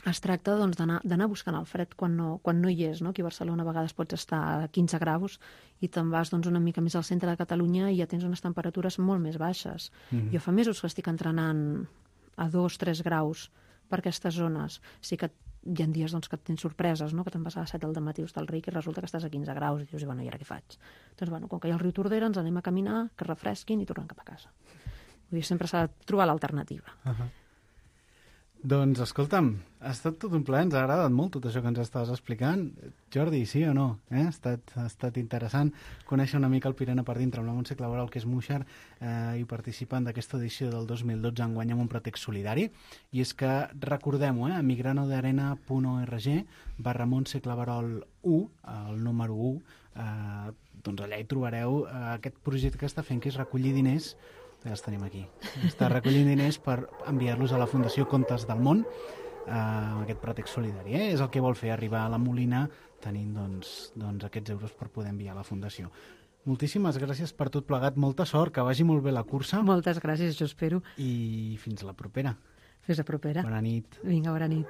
es tracta doncs, d'anar buscant el fred quan no, quan no hi és, no? Aquí a Barcelona a vegades pots estar a quinze graus i te'n vas doncs, una mica més al centre de Catalunya i ja tens unes temperatures molt més baixes. Mm-hmm. Jo fa mesos que estic entrenant a dos, tres graus per aquestes zones. Sí que hi ha dies doncs, que tens sorpreses, no? Que te'n vas a les set del matí a Hostalric i resulta que estàs a quinze graus i dius, bueno, i ara què faig? Doncs, bueno, com que hi ha el riu Tordera, ens anem a caminar, que refresquin i tornem cap a casa. Vull dir, sempre s'ha de trobar l'alternativa. Uh-huh. Doncs, escolta'm, ha estat tot un plaer, ens ha agradat molt tot això que ens estaves explicant. Jordi, sí o no? Eh? Ha, estat, ha estat interessant conèixer una mica el Pirena per dintre amb la Montse Claverol, que és Muixer, eh, i participant d'aquesta edició del dos mil dotze enguany amb un pretext solidari. I és que, recordem-ho, eh, a migranodearena punt org barra Montse Claverol u, el número u, eh, doncs allà hi trobareu eh, aquest projecte que està fent, que és recollir diners. Ja els tenim aquí. Està recollint diners per enviar-los a la Fundació Contes del Món, eh, amb aquest pretext solidari. Eh? És el que vol fer, arribar a la Molina tenint doncs, doncs, aquests euros per poder enviar a la Fundació. Moltíssimes gràcies per tot plegat. Molta sort, que vagi molt bé la cursa. Moltes gràcies, jo espero. I fins a la propera. Fins a propera. Bona nit. Vinga, bona nit.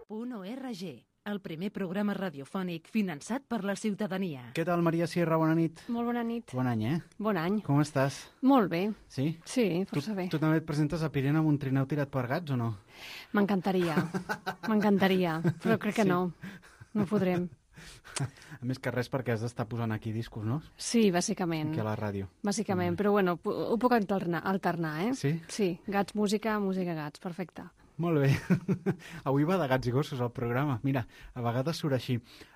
Punt org, el primer programa radiofònic finançat per la ciutadania. Què tal, Maria Sierra? Bona nit. Molt bona nit. Bon any, eh? Bon any. Com estàs? Molt bé. Sí? Sí, força tu, bé. Tu també et presentes a Pirena amb un trineu tirat per gats o no? M'encantaria. M'encantaria, però crec que sí. no. No podrem. A més que res perquè has d'estar posant aquí discos, no? Sí, bàsicament. Aquí a la ràdio. Bàsicament, mm. però bueno, ho puc alternar, alternar, eh? Sí? Sí, gats, música, música, gats, perfecte. Molt bé. Avui va de gats i gossos el programa. Mira, a vegades surt així.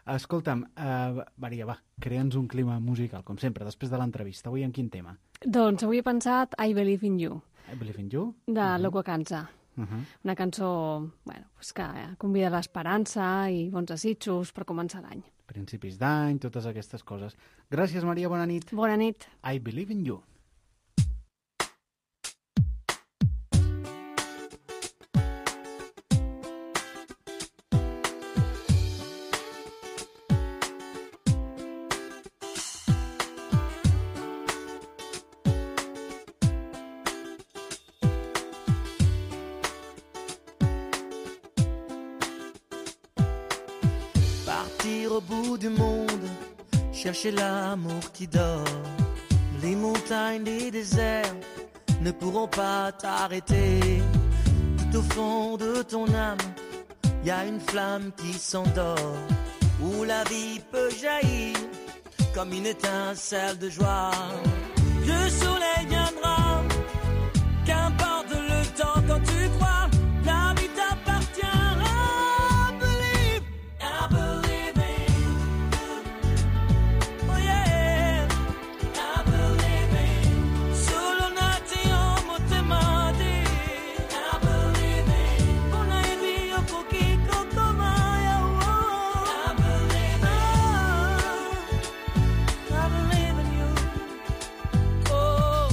Escolta'm, uh, Maria, va, crea'ns un clima musical, com sempre, després de l'entrevista. Avui en quin tema? Doncs avui he pensat I Believe in You. I Believe in You? De uh-huh. Loco Canza. Uh-huh. Una cançó bueno, pues que convida a l'esperança i bons desitjos per començar l'any. Principis d'any, totes aquestes coses. Gràcies, Maria, bona nit. Bona nit. I Believe in You. Au bout du monde, chercher l'amour qui dort. Les montagnes, les déserts ne pourront pas t'arrêter. Tout au fond de ton âme, y a une flamme qui s'endort, où la vie peut jaillir comme une étincelle de joie. Le soleil viendra, qu'importe le temps quand tu crois, la vie t'appartient. I believe, I believe in you. Oh yeah, I believe in. Solo nati homo temati. I believe in. Una idea poquito tomaya. I believe in. I believe in you. Oh.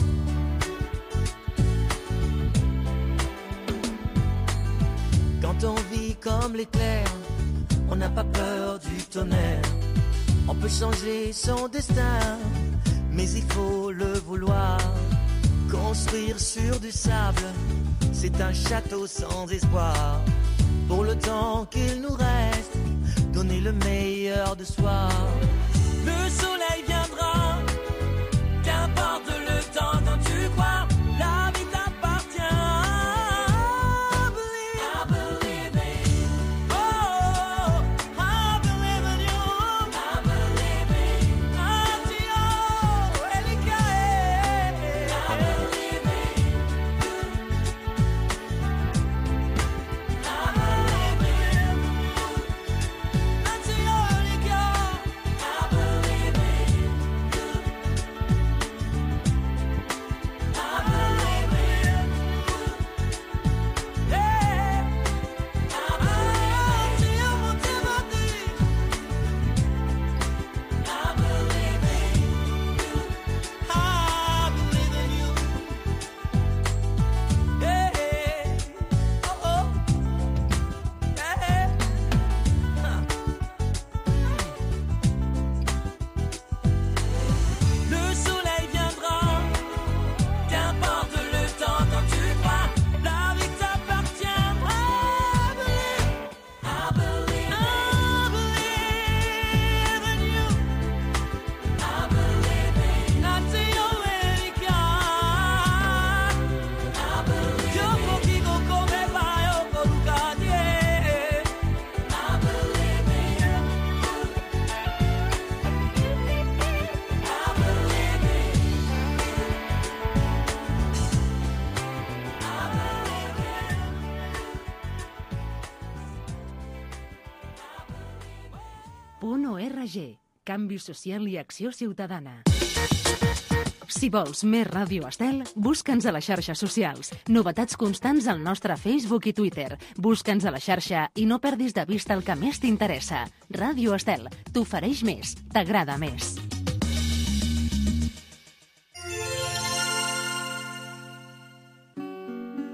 Quand on vit comme l'éclair, on n'a pas peur du tonnerre. On peut changer son destin, mais il faut le vouloir. Construire sur du sable, c'est un château sans espoir. Pour le temps qu'il nous reste, donner le meilleur de soi. Le soleil viendra, qu'importe le temps quand tu crois, la vie t'appartient. I believe, I believe in. Oh, I believe in you. I believe in. Addio, Elika. I believe in you. I believe in you. Addio, Elika. I believe in you. I believe in you. Yeah. Addio, Montemati. I believe in you. I believe in you. Yeah. Oh, oh. Yeah. Huh. Le soleil viendra, qu'importe le temps quand tu crois, la vie t'appartient. I believe, I believe, I believe in you. I believe in Latinoamerica. I believe yo poquito come vai o colcadie. I believe in you. I believe in you. Punt org. Canvi social i acció ciutadana. Si vols més Ràdio Estel, busca'ns a les xarxes socials. Novetats constants al nostre Facebook i Twitter. Busca'ns a la xarxa i no perdis de vista el que més t'interessa. Ràdio Estel, t'ofereix més, t'agrada més.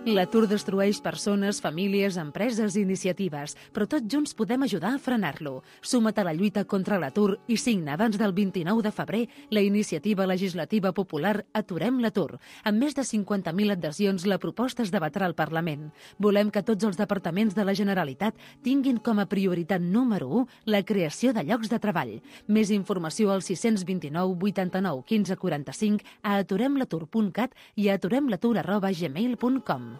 L'atur destrueix persones, famílies, empreses i iniciatives, però tots junts podem ajudar a frenar-lo. Suma't a la lluita contra l'atur i signa abans del vint-i-nou de febrer la iniciativa legislativa popular Aturem l'atur. Amb més de cinquanta mil adhesions, la proposta es debatrà al Parlament. Volem que tots els departaments de la Generalitat tinguin com a prioritat número u la creació de llocs de treball. Més informació al sis dos nou, vuitanta-nou, quinze, quaranta-cinc, a aturem l'atur punt cat i a aturem l'atur arroba gmail punt com.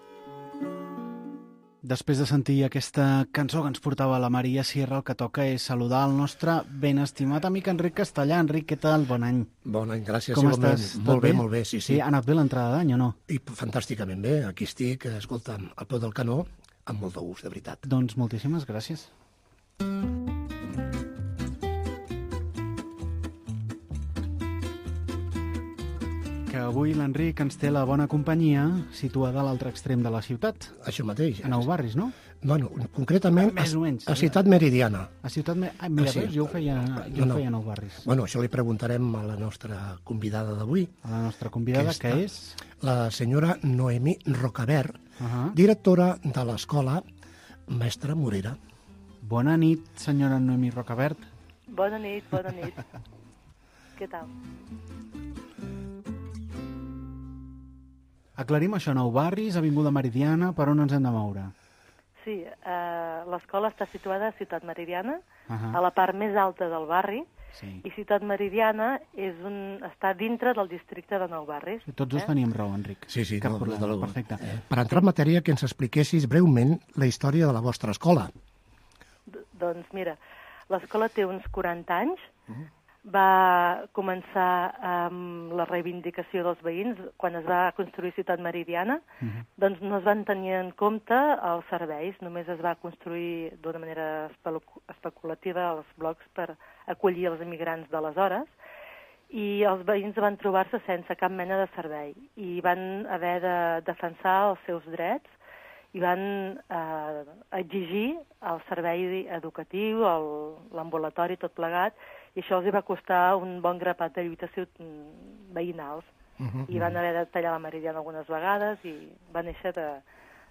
Després de sentir aquesta cançó que ens portava la Maria Sierra, el que toca és saludar el nostre ben estimat amic Enric Castellà. Enric, què tal? Bon any. Bon any, gràcies. Com igualment. estàs? Molt bé, molt bé, sí, sí. Sí, ha anat bé l'entrada d'any o no? I fantàsticament bé. Aquí estic, escolta'm, al peu del canó, amb molt de gust, de veritat. Doncs moltíssimes gràcies. Que avui l'Enric ens té la bona companyia situada a l'altre extrem de la ciutat. Això mateix. A Nou Barris, no? Bueno, concretament Més o menys, a, a sí. Ciutat Meridiana. A Ciutat... Me... Ah, mira, Ah, sí. veus, jo ho feia, jo No, no. ho feia a Nou Barris. Bueno, això li preguntarem a la nostra convidada d'avui, A la nostra convidada, Aquesta. que és... la senyora Noemí Rocabert, Uh-huh. directora de l'escola Mestre Morera. Bona nit, senyora Noemí Rocabert. Bona nit, bona nit. Què tal? Aclarim això, Nou Barris, Avinguda Meridiana, per on ens hem de moure? Sí, eh, l'escola està situada a Ciutat Meridiana, Uh-huh. a la part més alta del barri, Sí. I Ciutat Meridiana és un, està dintre del districte de Nou Barris. Sí, tots dos eh? teníem raó, Enric. Sí, sí, Cap no, problema, des de luego. perfecte. Eh, per entrar en matèria, que ens expliquessis breument la història de la vostra escola. D doncs mira, l'escola té uns quaranta anys, uh-huh. Va començar amb la reivindicació dels veïns quan es va construir Ciutat Meridiana, uh-huh. doncs no es van tenir en compte els serveis, només es va construir d'una manera especulativa els blocs per acollir els immigrants d'aleshores, i els veïns van trobar-se sense cap mena de servei i van haver de defensar els seus drets i van eh, exigir el servei educatiu, l'ambulatori, tot plegat, i això els va costar un bon grapat de lluites veïnals. Uh -huh. I van haver de tallar la meridiana algunes vegades i va néixer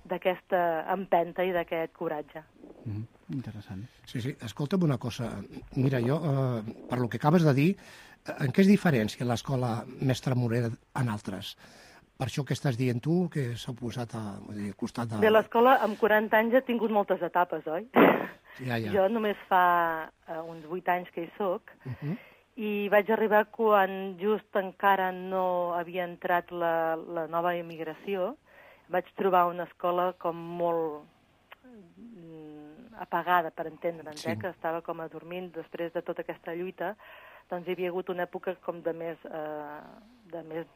d'aquesta empenta i d'aquest coratge. Uh -huh. Interessant. Sí, sí, escolta'm una cosa. Mira, jo, eh, per lo que acabes de dir, en què es diferencia l'escola Mestre Morera en altres? Per això que estàs dient tu, que s'ha posat a, vull dir, al costat de... Bé, l'escola amb quaranta anys ha tingut moltes etapes, oi? Ja, ja. Jo només fa uh, uns vuit anys que hi soc, uh -huh. i vaig arribar quan just encara no havia entrat la, la nova immigració. Vaig trobar una escola com molt mm, apagada, per entendre'ns, sí. eh, que estava com adormint després de tota aquesta lluita. Doncs hi havia hagut una època com de més, eh, de més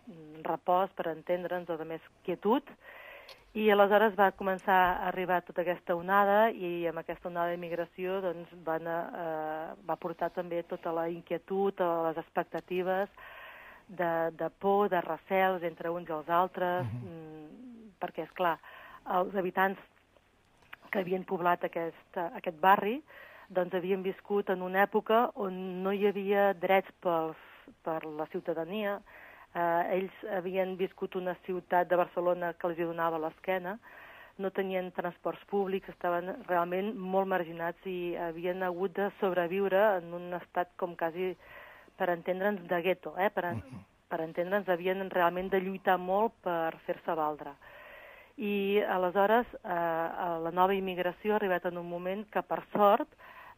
repòs, per entendre'ns, o de més quietud, i aleshores va començar a arribar tota aquesta onada, i amb aquesta onada d'immigració doncs, van, eh, va portar també tota la inquietud, les expectatives de, de por, de recels entre uns i els altres, uh-huh. mm, perquè, és clar, els habitants que havien poblat aquest, aquest barri doncs havien viscut en una època on no hi havia drets pels, per la ciutadania. Eh, ells havien viscut una ciutat de Barcelona que els donava l'esquena, no tenien transports públics, estaven realment molt marginats i havien hagut de sobreviure en un estat com quasi, per entendre'ns, de gueto. Eh? Per, per entendre'ns, havien realment de lluitar molt per fer-se valdre. I aleshores eh, la nova immigració ha arribat en un moment que, per sort,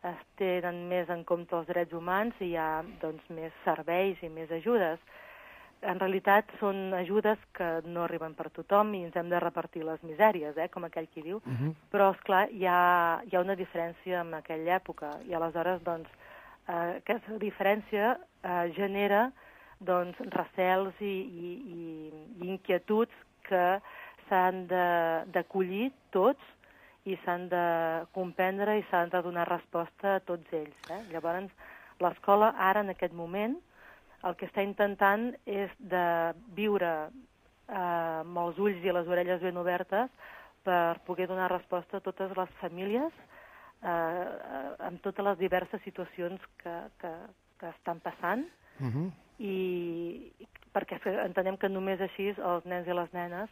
es tenen més en compte els drets humans i hi ha doncs, més serveis i més ajudes. En realitat són ajudes que no arriben per tothom i ens hem de repartir les misèries, eh, com aquell qui diu, uh-huh. però, esclar, hi ha, hi ha una diferència en aquella època i aleshores doncs, eh, aquesta diferència eh, genera doncs, recels i, i, i, i inquietuds que s'han d'acollir tots i s'han de comprendre i s'han de donar resposta a tots ells. Eh? Llavors, l'escola ara, en aquest moment, el que està intentant és de viure eh, amb els ulls i les orelles ben obertes per poder donar resposta a totes les famílies eh, amb totes les diverses situacions que, que, que estan passant uh-huh. i perquè entenem que només així els nens i les nenes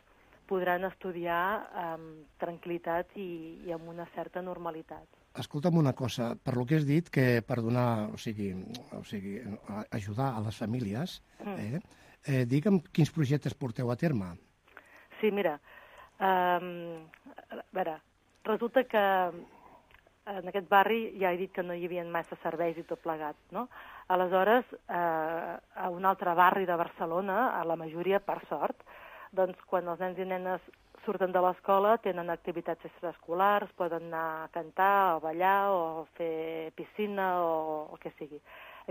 podran estudiar amb tranquil·litat i, i amb una certa normalitat. Escolta'm una cosa, per lo que has dit, que per donar, o sigui, o sigui ajudar a les famílies, mm. eh, eh, digue'm quins projectes porteu a terme. Sí, mira, um, a veure, resulta que en aquest barri ja he dit que no hi havia massa serveis i tot plegat, no? Aleshores, eh, a un altre barri de Barcelona, a la majoria, per sort, doncs quan els nens i nenes surten de l'escola tenen activitats extraescolars, poden anar a cantar, a ballar, o a fer piscina, o el que sigui.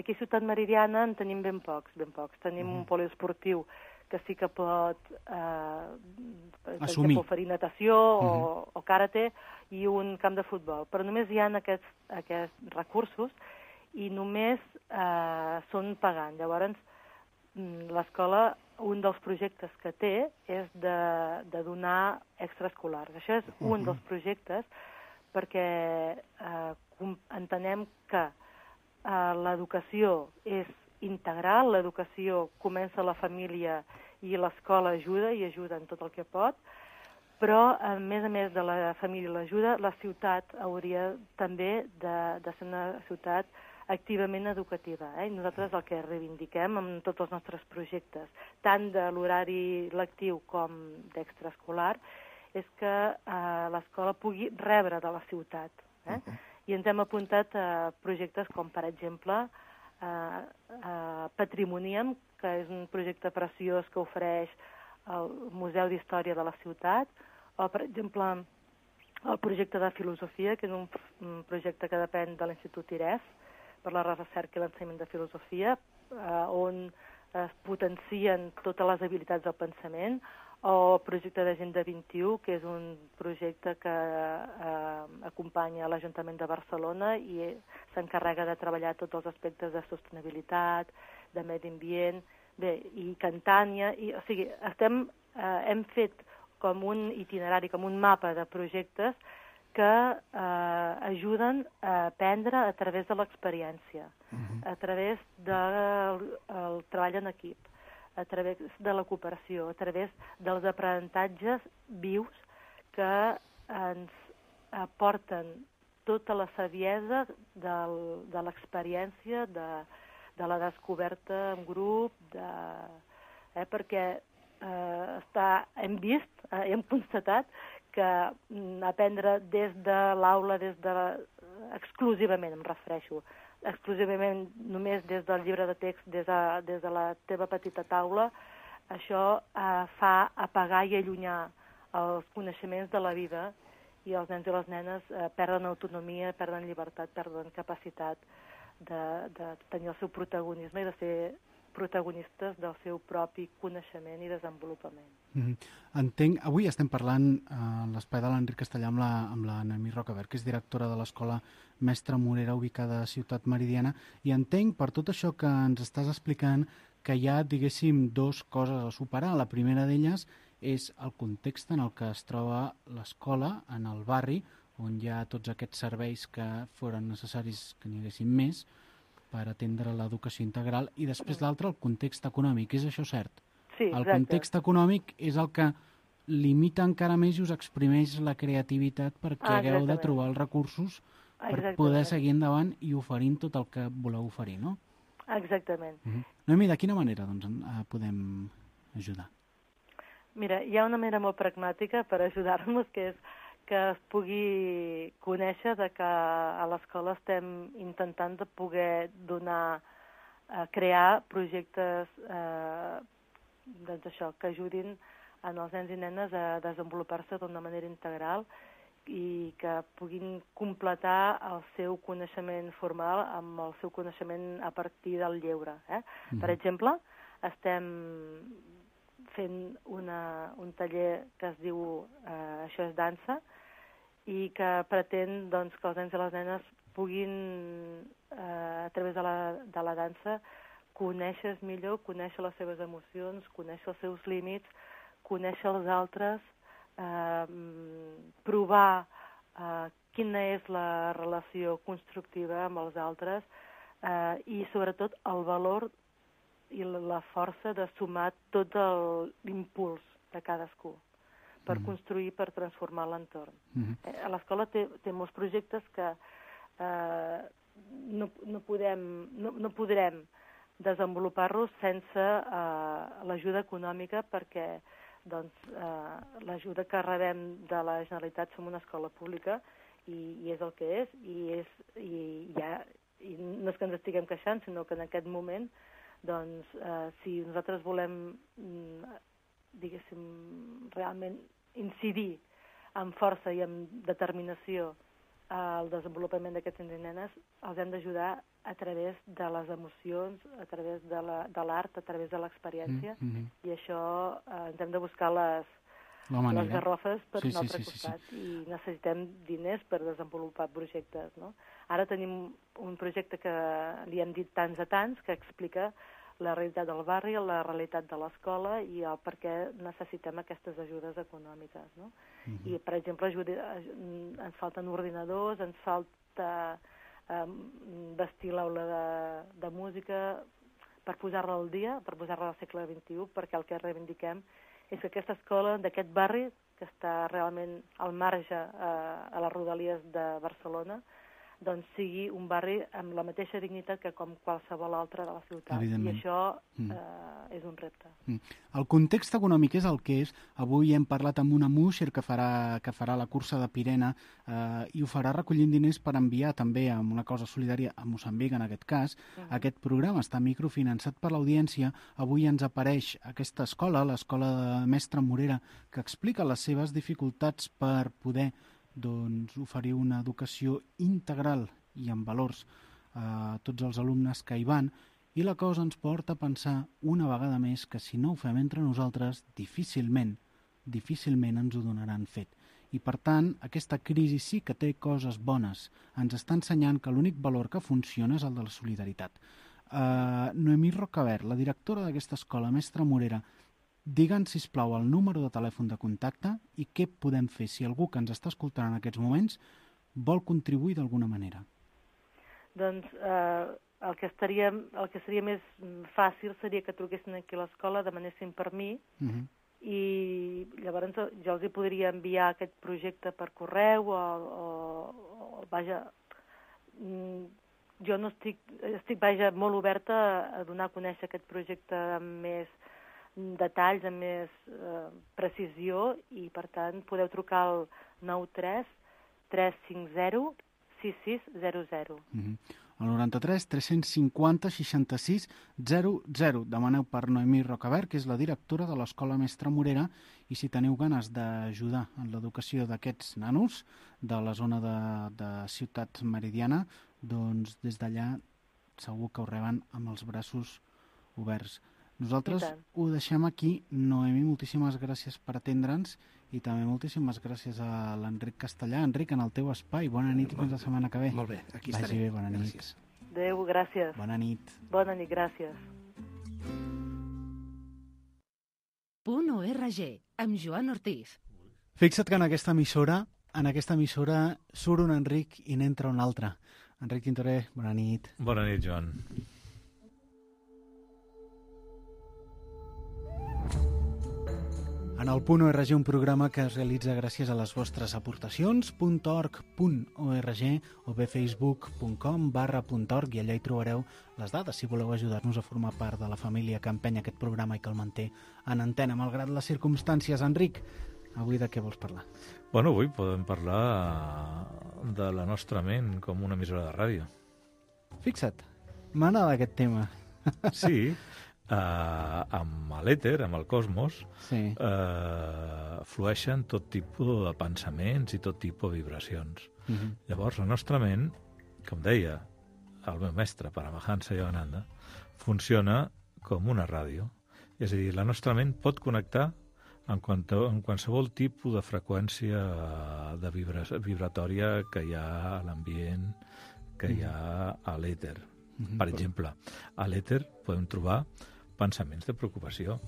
Aquí a Ciutat Meridiana en tenim ben pocs, ben pocs. Tenim mm. un poliesportiu que sí que pot eh, assumir, oferir natació mm -hmm. o, o karate, i un camp de futbol. Però només hi ha aquests, aquests recursos i només eh, són pagant. Llavors, l'escola, un dels projectes que té és de, de donar extraescolars. Això és un uh-huh. dels projectes perquè eh, entenem que eh, l'educació és integral, l'educació comença a la família i l'escola ajuda i ajuda en tot el que pot, però a més a més de la família i l'ajuda, la ciutat hauria també de, de ser una ciutat activament educativa. Eh? I nosaltres el que reivindiquem amb tots els nostres projectes, tant de l'horari lectiu com d'extraescolar, és que eh, l'escola pugui rebre de la ciutat. Eh? Uh-huh. I ens hem apuntat a projectes com, per exemple, eh, eh, Patrimonium, que és un projecte preciós que ofereix el Museu d'Història de la ciutat, o, per exemple, el projecte de filosofia, que és un, un projecte que depèn de l'Institut I R E F, per la recerca i l'ensenyament de filosofia, eh, on es potencien totes les habilitats del pensament, o el projecte d'Agenda vint-i-u, que és un projecte que eh, acompanya l'Ajuntament de Barcelona i s'encarrega de treballar tots els aspectes de sostenibilitat, de medi ambient, bé, i Cantània, i, o sigui, estem, eh, hem fet com un itinerari, com un mapa de projectes que eh, ajuden a aprendre a través de l'experiència, uh-huh. a través del el treball en equip, a través de la cooperació, a través dels aprenentatges vius que ens aporten tota la saviesa del, de l'experiència, de, de la descoberta en grup, de, eh, perquè eh, està, hem vist, eh, hem constatat que mm, aprendre des de l'aula, des de la, exclusivament, em refereixo, exclusivament només des del llibre de text, des de, des de la teva petita taula, això eh, fa apagar i allunyar els coneixements de la vida, i els nens i les nenes eh, perden autonomia, perden llibertat, perden capacitat de, de tenir el seu protagonisme i de ser protagonistes del seu propi coneixement i desenvolupament. Mm-hmm. Entenc, avui estem parlant a uh, l'espai de l'Enric Castellà amb la, amb la Noemí Rocabert, que és directora de l'Escola Mestre Morera, ubicada a Ciutat Meridiana, i entenc, per tot això que ens estàs explicant, que hi ha, diguéssim, dos coses a superar. La primera d'elles és el context en el que es troba l'escola, en el barri, on hi ha tots aquests serveis que foren necessaris que n'hi haguessin més, per atendre l'educació integral, i després l'altre, el context econòmic. És això cert? Sí, exacte. El context econòmic és el que limita encara més i us exprimeix la creativitat perquè ah, hagueu de trobar els recursos per exactament. Poder seguir endavant i oferint tot el que voleu oferir, no? Exactament. Uh-huh. Noemí, de quina manera doncs, podem ajudar? Mira, hi ha una manera molt pragmàtica per ajudar-nos, que és que es pugui conèixer de que a l'escola estem intentant de poder donar, eh, crear projectes eh, doncs això, que ajudin en els nens i nenes a desenvolupar-se d'una manera integral i que puguin completar el seu coneixement formal amb el seu coneixement a partir del lleure. Eh? Mm. Per exemple, estem fent una, un taller que es diu eh, Això és dansa, i que pretén doncs, que els nens i les nenes puguin, eh, a través de la, de la dansa, conèixer millor, conèixer les seves emocions, conèixer els seus límits, conèixer els altres, eh, provar eh, quina és la relació constructiva amb els altres eh, i, sobretot, el valor i la força de sumar tot l'impuls de cadascú per mm. construir, per transformar l'entorn. Mm-hmm. Eh, a l'escola té, té molts projectes que eh, no, no, podem, no, no podrem desenvolupar-los sense eh, l'ajuda econòmica, perquè doncs, eh, l'ajuda que rebem de la Generalitat, som una escola pública i, i és el que és, i, és i, ja, i no és que ens estiguem queixant, sinó que en aquest moment doncs, eh, si nosaltres volem diguéssim, realment incidir amb força i amb determinació al desenvolupament d'aquests nens i nenes, els hem d'ajudar a través de les emocions, a través de l'art, a través de l'experiència, mm-hmm. i això eh, ens hem de buscar les, les garrofes per sí, un altre sí, sí, costat, sí, sí. i necessitem diners per desenvolupar projectes. No? Ara tenim un projecte que li hem dit tants a tants, que explica la realitat del barri, la realitat de l'escola i el per què necessitem aquestes ajudes econòmiques. No? Uh-huh. I, per exemple, ajuda, ens falten ordinadors, ens falta eh, vestir l'aula de, de música per posar-la al dia, per posar-la al segle vint-i-u, perquè el que reivindiquem és que aquesta escola d'aquest barri, que està realment al marge eh, a les rodalies de Barcelona, doncs sigui un barri amb la mateixa dignitat que com qualsevol altre de la ciutat. I això mm. eh, és un repte. Mm. El context econòmic és el que és. Avui hem parlat amb una Musher que farà, que farà la cursa de Pirena eh, i ho farà recollint diners per enviar també amb una cosa solidària a Moçambic, en aquest cas. Mm. Aquest programa està microfinançat per l'audiència. Avui ens apareix aquesta escola, l'escola de Mestre Morera, que explica les seves dificultats per poder doncs, oferir una educació integral i amb valors a tots els alumnes que hi van, i la cosa ens porta a pensar una vegada més que si no ho fem entre nosaltres, difícilment, difícilment ens ho donaran fet. I per tant, aquesta crisi sí que té coses bones. Ens està ensenyant que l'únic valor que funciona és el de la solidaritat. Uh, Noemí Rocabert, la directora d'aquesta escola, Mestre Morera, digue'ns, sisplau, el número de telèfon de contacte i què podem fer si algú que ens està escoltant en aquests moments vol contribuir d'alguna manera. Doncs eh, el, que estaria, el que seria més fàcil seria que truquessin aquí a l'escola, demanessin per mi, uh-huh. i llavors jo els hi podria enviar aquest projecte per correu o, o, o vaja, jo no estic, estic vaja, molt oberta a donar a conèixer aquest projecte amb més detalls, amb més eh, precisió, i per tant podeu trucar al nou tres tres cinc zero sis sis zero zero. Mm-hmm. El noranta-tres tres cents cinquanta seixanta-sis zero zero. Demaneu per Noemí Rocabert, que és la directora de l'Escola Mestre Morera, i si teniu ganes d'ajudar en l'educació d'aquests nanos de la zona de, de Ciutat Meridiana, doncs des d'allà segur que ho reben amb els braços oberts. Nosaltres ho deixem aquí. Noemí, moltíssimes gràcies per atendre'ns i també moltíssimes gràcies a l'Enric Castellà. Enric, en el teu espai. Bona nit i fins la setmana que ve. Molt bé, aquí Vagi estaré. Bé, bona nit. Gràcies. Adéu, gràcies. Bona nit. Bona nit, gràcies. Punt O R G, amb Joan Ortiz. Fixa't que en aquesta emissora, en aquesta emissora surt un Enric i n'entra un altre. Enric Tintoré, bona nit. Bona nit, Joan. En el Punt O R G, un programa que es realitza gràcies a les vostres aportacions, punt org punt org o bé facebook punt com barra punt org, i allà hi trobareu les dades si voleu ajudar-nos a formar part de la família que empenya aquest programa i que el manté en antena, malgrat les circumstàncies. Enric, avui de què vols parlar? Bueno, avui podem parlar de la nostra ment com una emissora de ràdio. Fixa't, m'agrada aquest tema. Sí, Uh, amb l'èter, amb el cosmos, sí. uh, flueixen tot tipus de pensaments i tot tipus de vibracions. Uh-huh. Llavors, la nostra ment, com deia el meu mestre, Paramahansa Yogananda, funciona com una ràdio. És a dir, la nostra ment pot connectar en, quanto, en qualsevol tipus de freqüència de vibra, vibratòria que hi ha a l'ambient, que hi ha a l'èter. Uh-huh. Per exemple, a l'èter podem trobar pensaments de preocupació,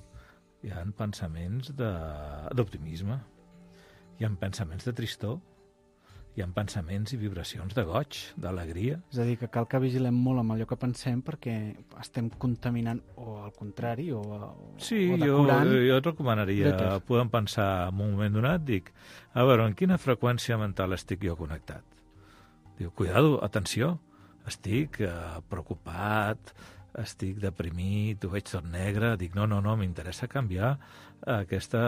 hi ha pensaments d'optimisme, hi ha pensaments de tristor, hi ha pensaments i vibracions de goig, d'alegria. És a dir, que cal que vigilem molt amb allò que pensem perquè estem contaminant, o al contrari, o, o, sí, o decorant. Sí, jo, jo et recomanaria, podem pensar en un moment donat, dic, a veure, en quina freqüència mental estic jo connectat? Diu, cuidado, atenció, estic eh, preocupat, estic deprimit, ho veig tot negre, dic, no, no, no, m'interessa canviar aquesta,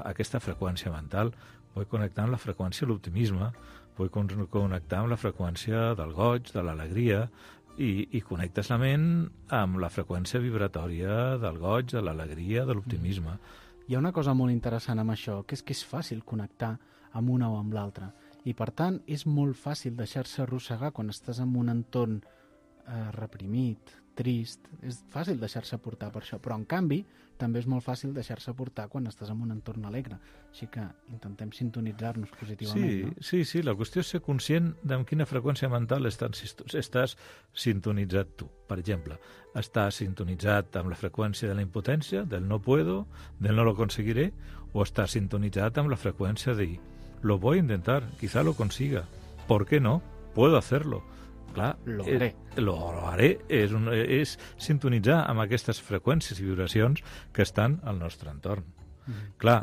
aquesta freqüència mental. Vull connectar amb la freqüència de l'optimisme, vull connectar amb la freqüència del goig, de l'alegria, i, i connectes la ment amb la freqüència vibratòria del goig, de l'alegria, de l'optimisme. Hi ha una cosa molt interessant amb això, que és que és fàcil connectar amb una o amb l'altra, i per tant és molt fàcil deixar-se arrossegar quan estàs en un entorn eh, reprimit, trist, és fàcil deixar-se portar per això, però en canvi també és molt fàcil deixar-se portar quan estàs en un entorn alegre, així que intentem sintonitzar-nos positivament. Sí, no? sí, sí, la qüestió és ser conscient de quina freqüència mental estàs, estàs sintonitzat tu. Per exemple, estàs sintonitzat amb la freqüència de la impotència, del no puedo, del no lo conseguiré, o estàs sintonitzat amb la freqüència de lo voy a intentar, quizá lo consiga, ¿por qué no? Puedo hacerlo. Clar, lo haré. Eh, lo haré és, un, és sintonitzar amb aquestes freqüències i vibracions que estan al nostre entorn. Mm. Clar,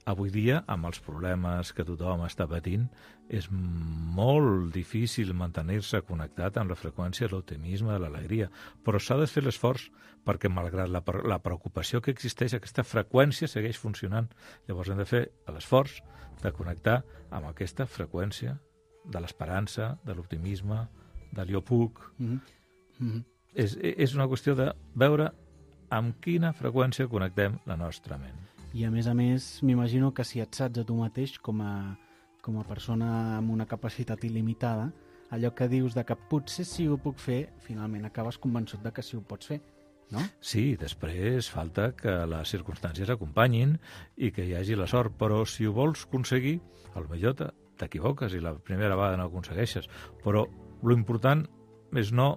Avui dia, amb els problemes que tothom està patint, és molt difícil mantenir-se connectat amb la freqüència de l'optimisme, de l'alegria, però s'ha de fer l'esforç perquè, malgrat la, la preocupació que existeix, aquesta freqüència segueix funcionant. Llavors hem de fer l'esforç de connectar amb aquesta freqüència de l'esperança, de l'optimisme, de jo puc. Mm-hmm. Mm-hmm. És, és una qüestió de veure amb quina freqüència connectem la nostra ment. I a més a més, m'imagino que si et saps a tu mateix com a, com a persona amb una capacitat il·limitada, allò que dius de que potser sí ho puc fer, finalment acabes convençut de que sí ho pots fer, no? Sí, després falta que les circumstàncies acompanyin i que hi hagi la sort, però si ho vols aconseguir, potser t'equivoques i la primera vegada no ho aconsegueixes, però l'important és no,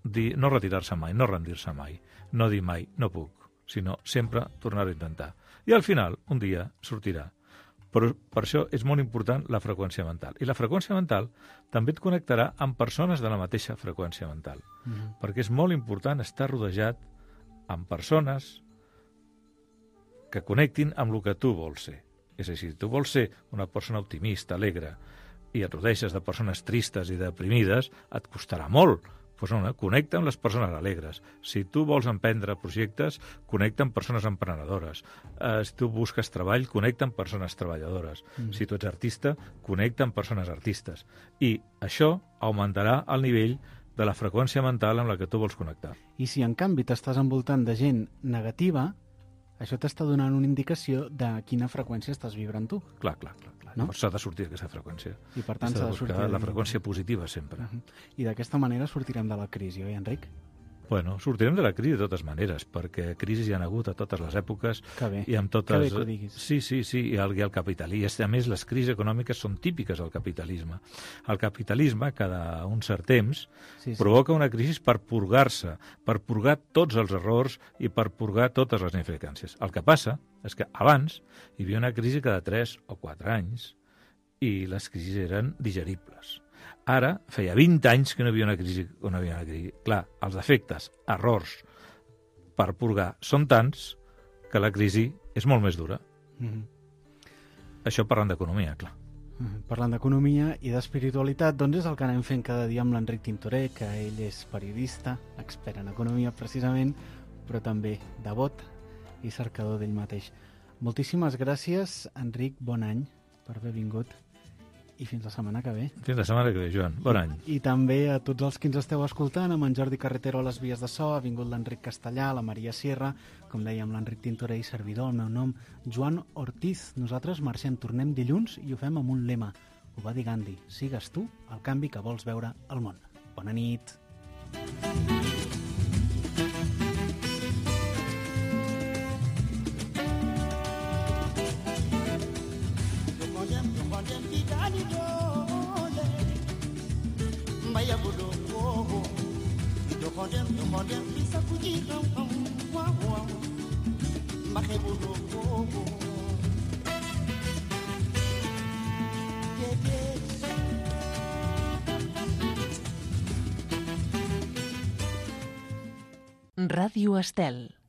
dir, no retirar-se mai, no rendir-se mai, no dir mai, no puc, sinó sempre tornar a intentar. I al final, un dia, sortirà. Però per això és molt important la freqüència mental. I la freqüència mental també et connectarà amb persones de la mateixa freqüència mental. Mm-hmm. Perquè és molt important estar rodejat amb persones que connectin amb el que tu vols ser. És a dir, si tu vols ser una persona optimista, alegre, i et rodeges de persones tristes i deprimides, et costarà molt. Pues no, connecta amb les persones alegres. Si tu vols emprendre projectes, connecta amb persones emprenedores. Eh, si tu busques treball, connecta amb persones treballadores. Mm. Si tu ets artista, connecta amb persones artistes. I això augmentarà el nivell de la freqüència mental amb la que tu vols connectar. I si en canvi t'estàs envoltant de gent negativa, això t'està donant una indicació de quina freqüència estàs vibrant tu. Clar, clar, clar. clar. No? S'ha de sortir d'aquesta freqüència. I per tant s'ha de sortir la freqüència positiva sempre. Uh -huh. I d'aquesta manera sortirem de la crisi, oi, Enric? Bueno, sortirem de la crisi de totes maneres, perquè crisis hi ha hagut a totes les èpoques. Que bé, i amb totes... que bé que ho diguis. Sí, sí, sí, i el, i el capitalisme. A més, les crisis econòmiques són típiques del capitalisme. El capitalisme, cada un cert temps, sí, sí. provoca una crisi per purgar-se, per purgar tots els errors i per purgar totes les ineficàcies. El que passa és que abans hi havia una crisi cada tres o quatre anys i les crisis eren digeribles. Ara, feia vint anys que no hi havia una crisi. No havia una crisi. Clar, els defectes, errors per purgar són tants que la crisi és molt més dura. Mm-hmm. Això parlant d'economia, clar. Mm-hmm. Parlant d'economia i d'espiritualitat, doncs és el que anem fent cada dia amb l'Enric Tintoré, que ell és periodista, expert en economia precisament, però també devot i cercador d'ell mateix. Moltíssimes gràcies, Enric, bon any per haver vingut. I fins la setmana que ve. Fins la setmana que ve, Joan. Bon any. I, i també a tots els que ens esteu escoltant, amb en Jordi Carretero a les vies de so, ha vingut l'Enric Castellà, la Maria Sierra, com dèiem, l'Enric Tintoré i servidor, el meu nom, Joan Ortiz. Nosaltres marxem, tornem dilluns i ho fem amb un lema. Ho va dir Gandhi, sigues tu el canvi que vols veure al món. Bona nit. Maya budo oh do condem do condem bisa kuji ram ram wa wa mahe budo oh yeah yeah Ràdio Estel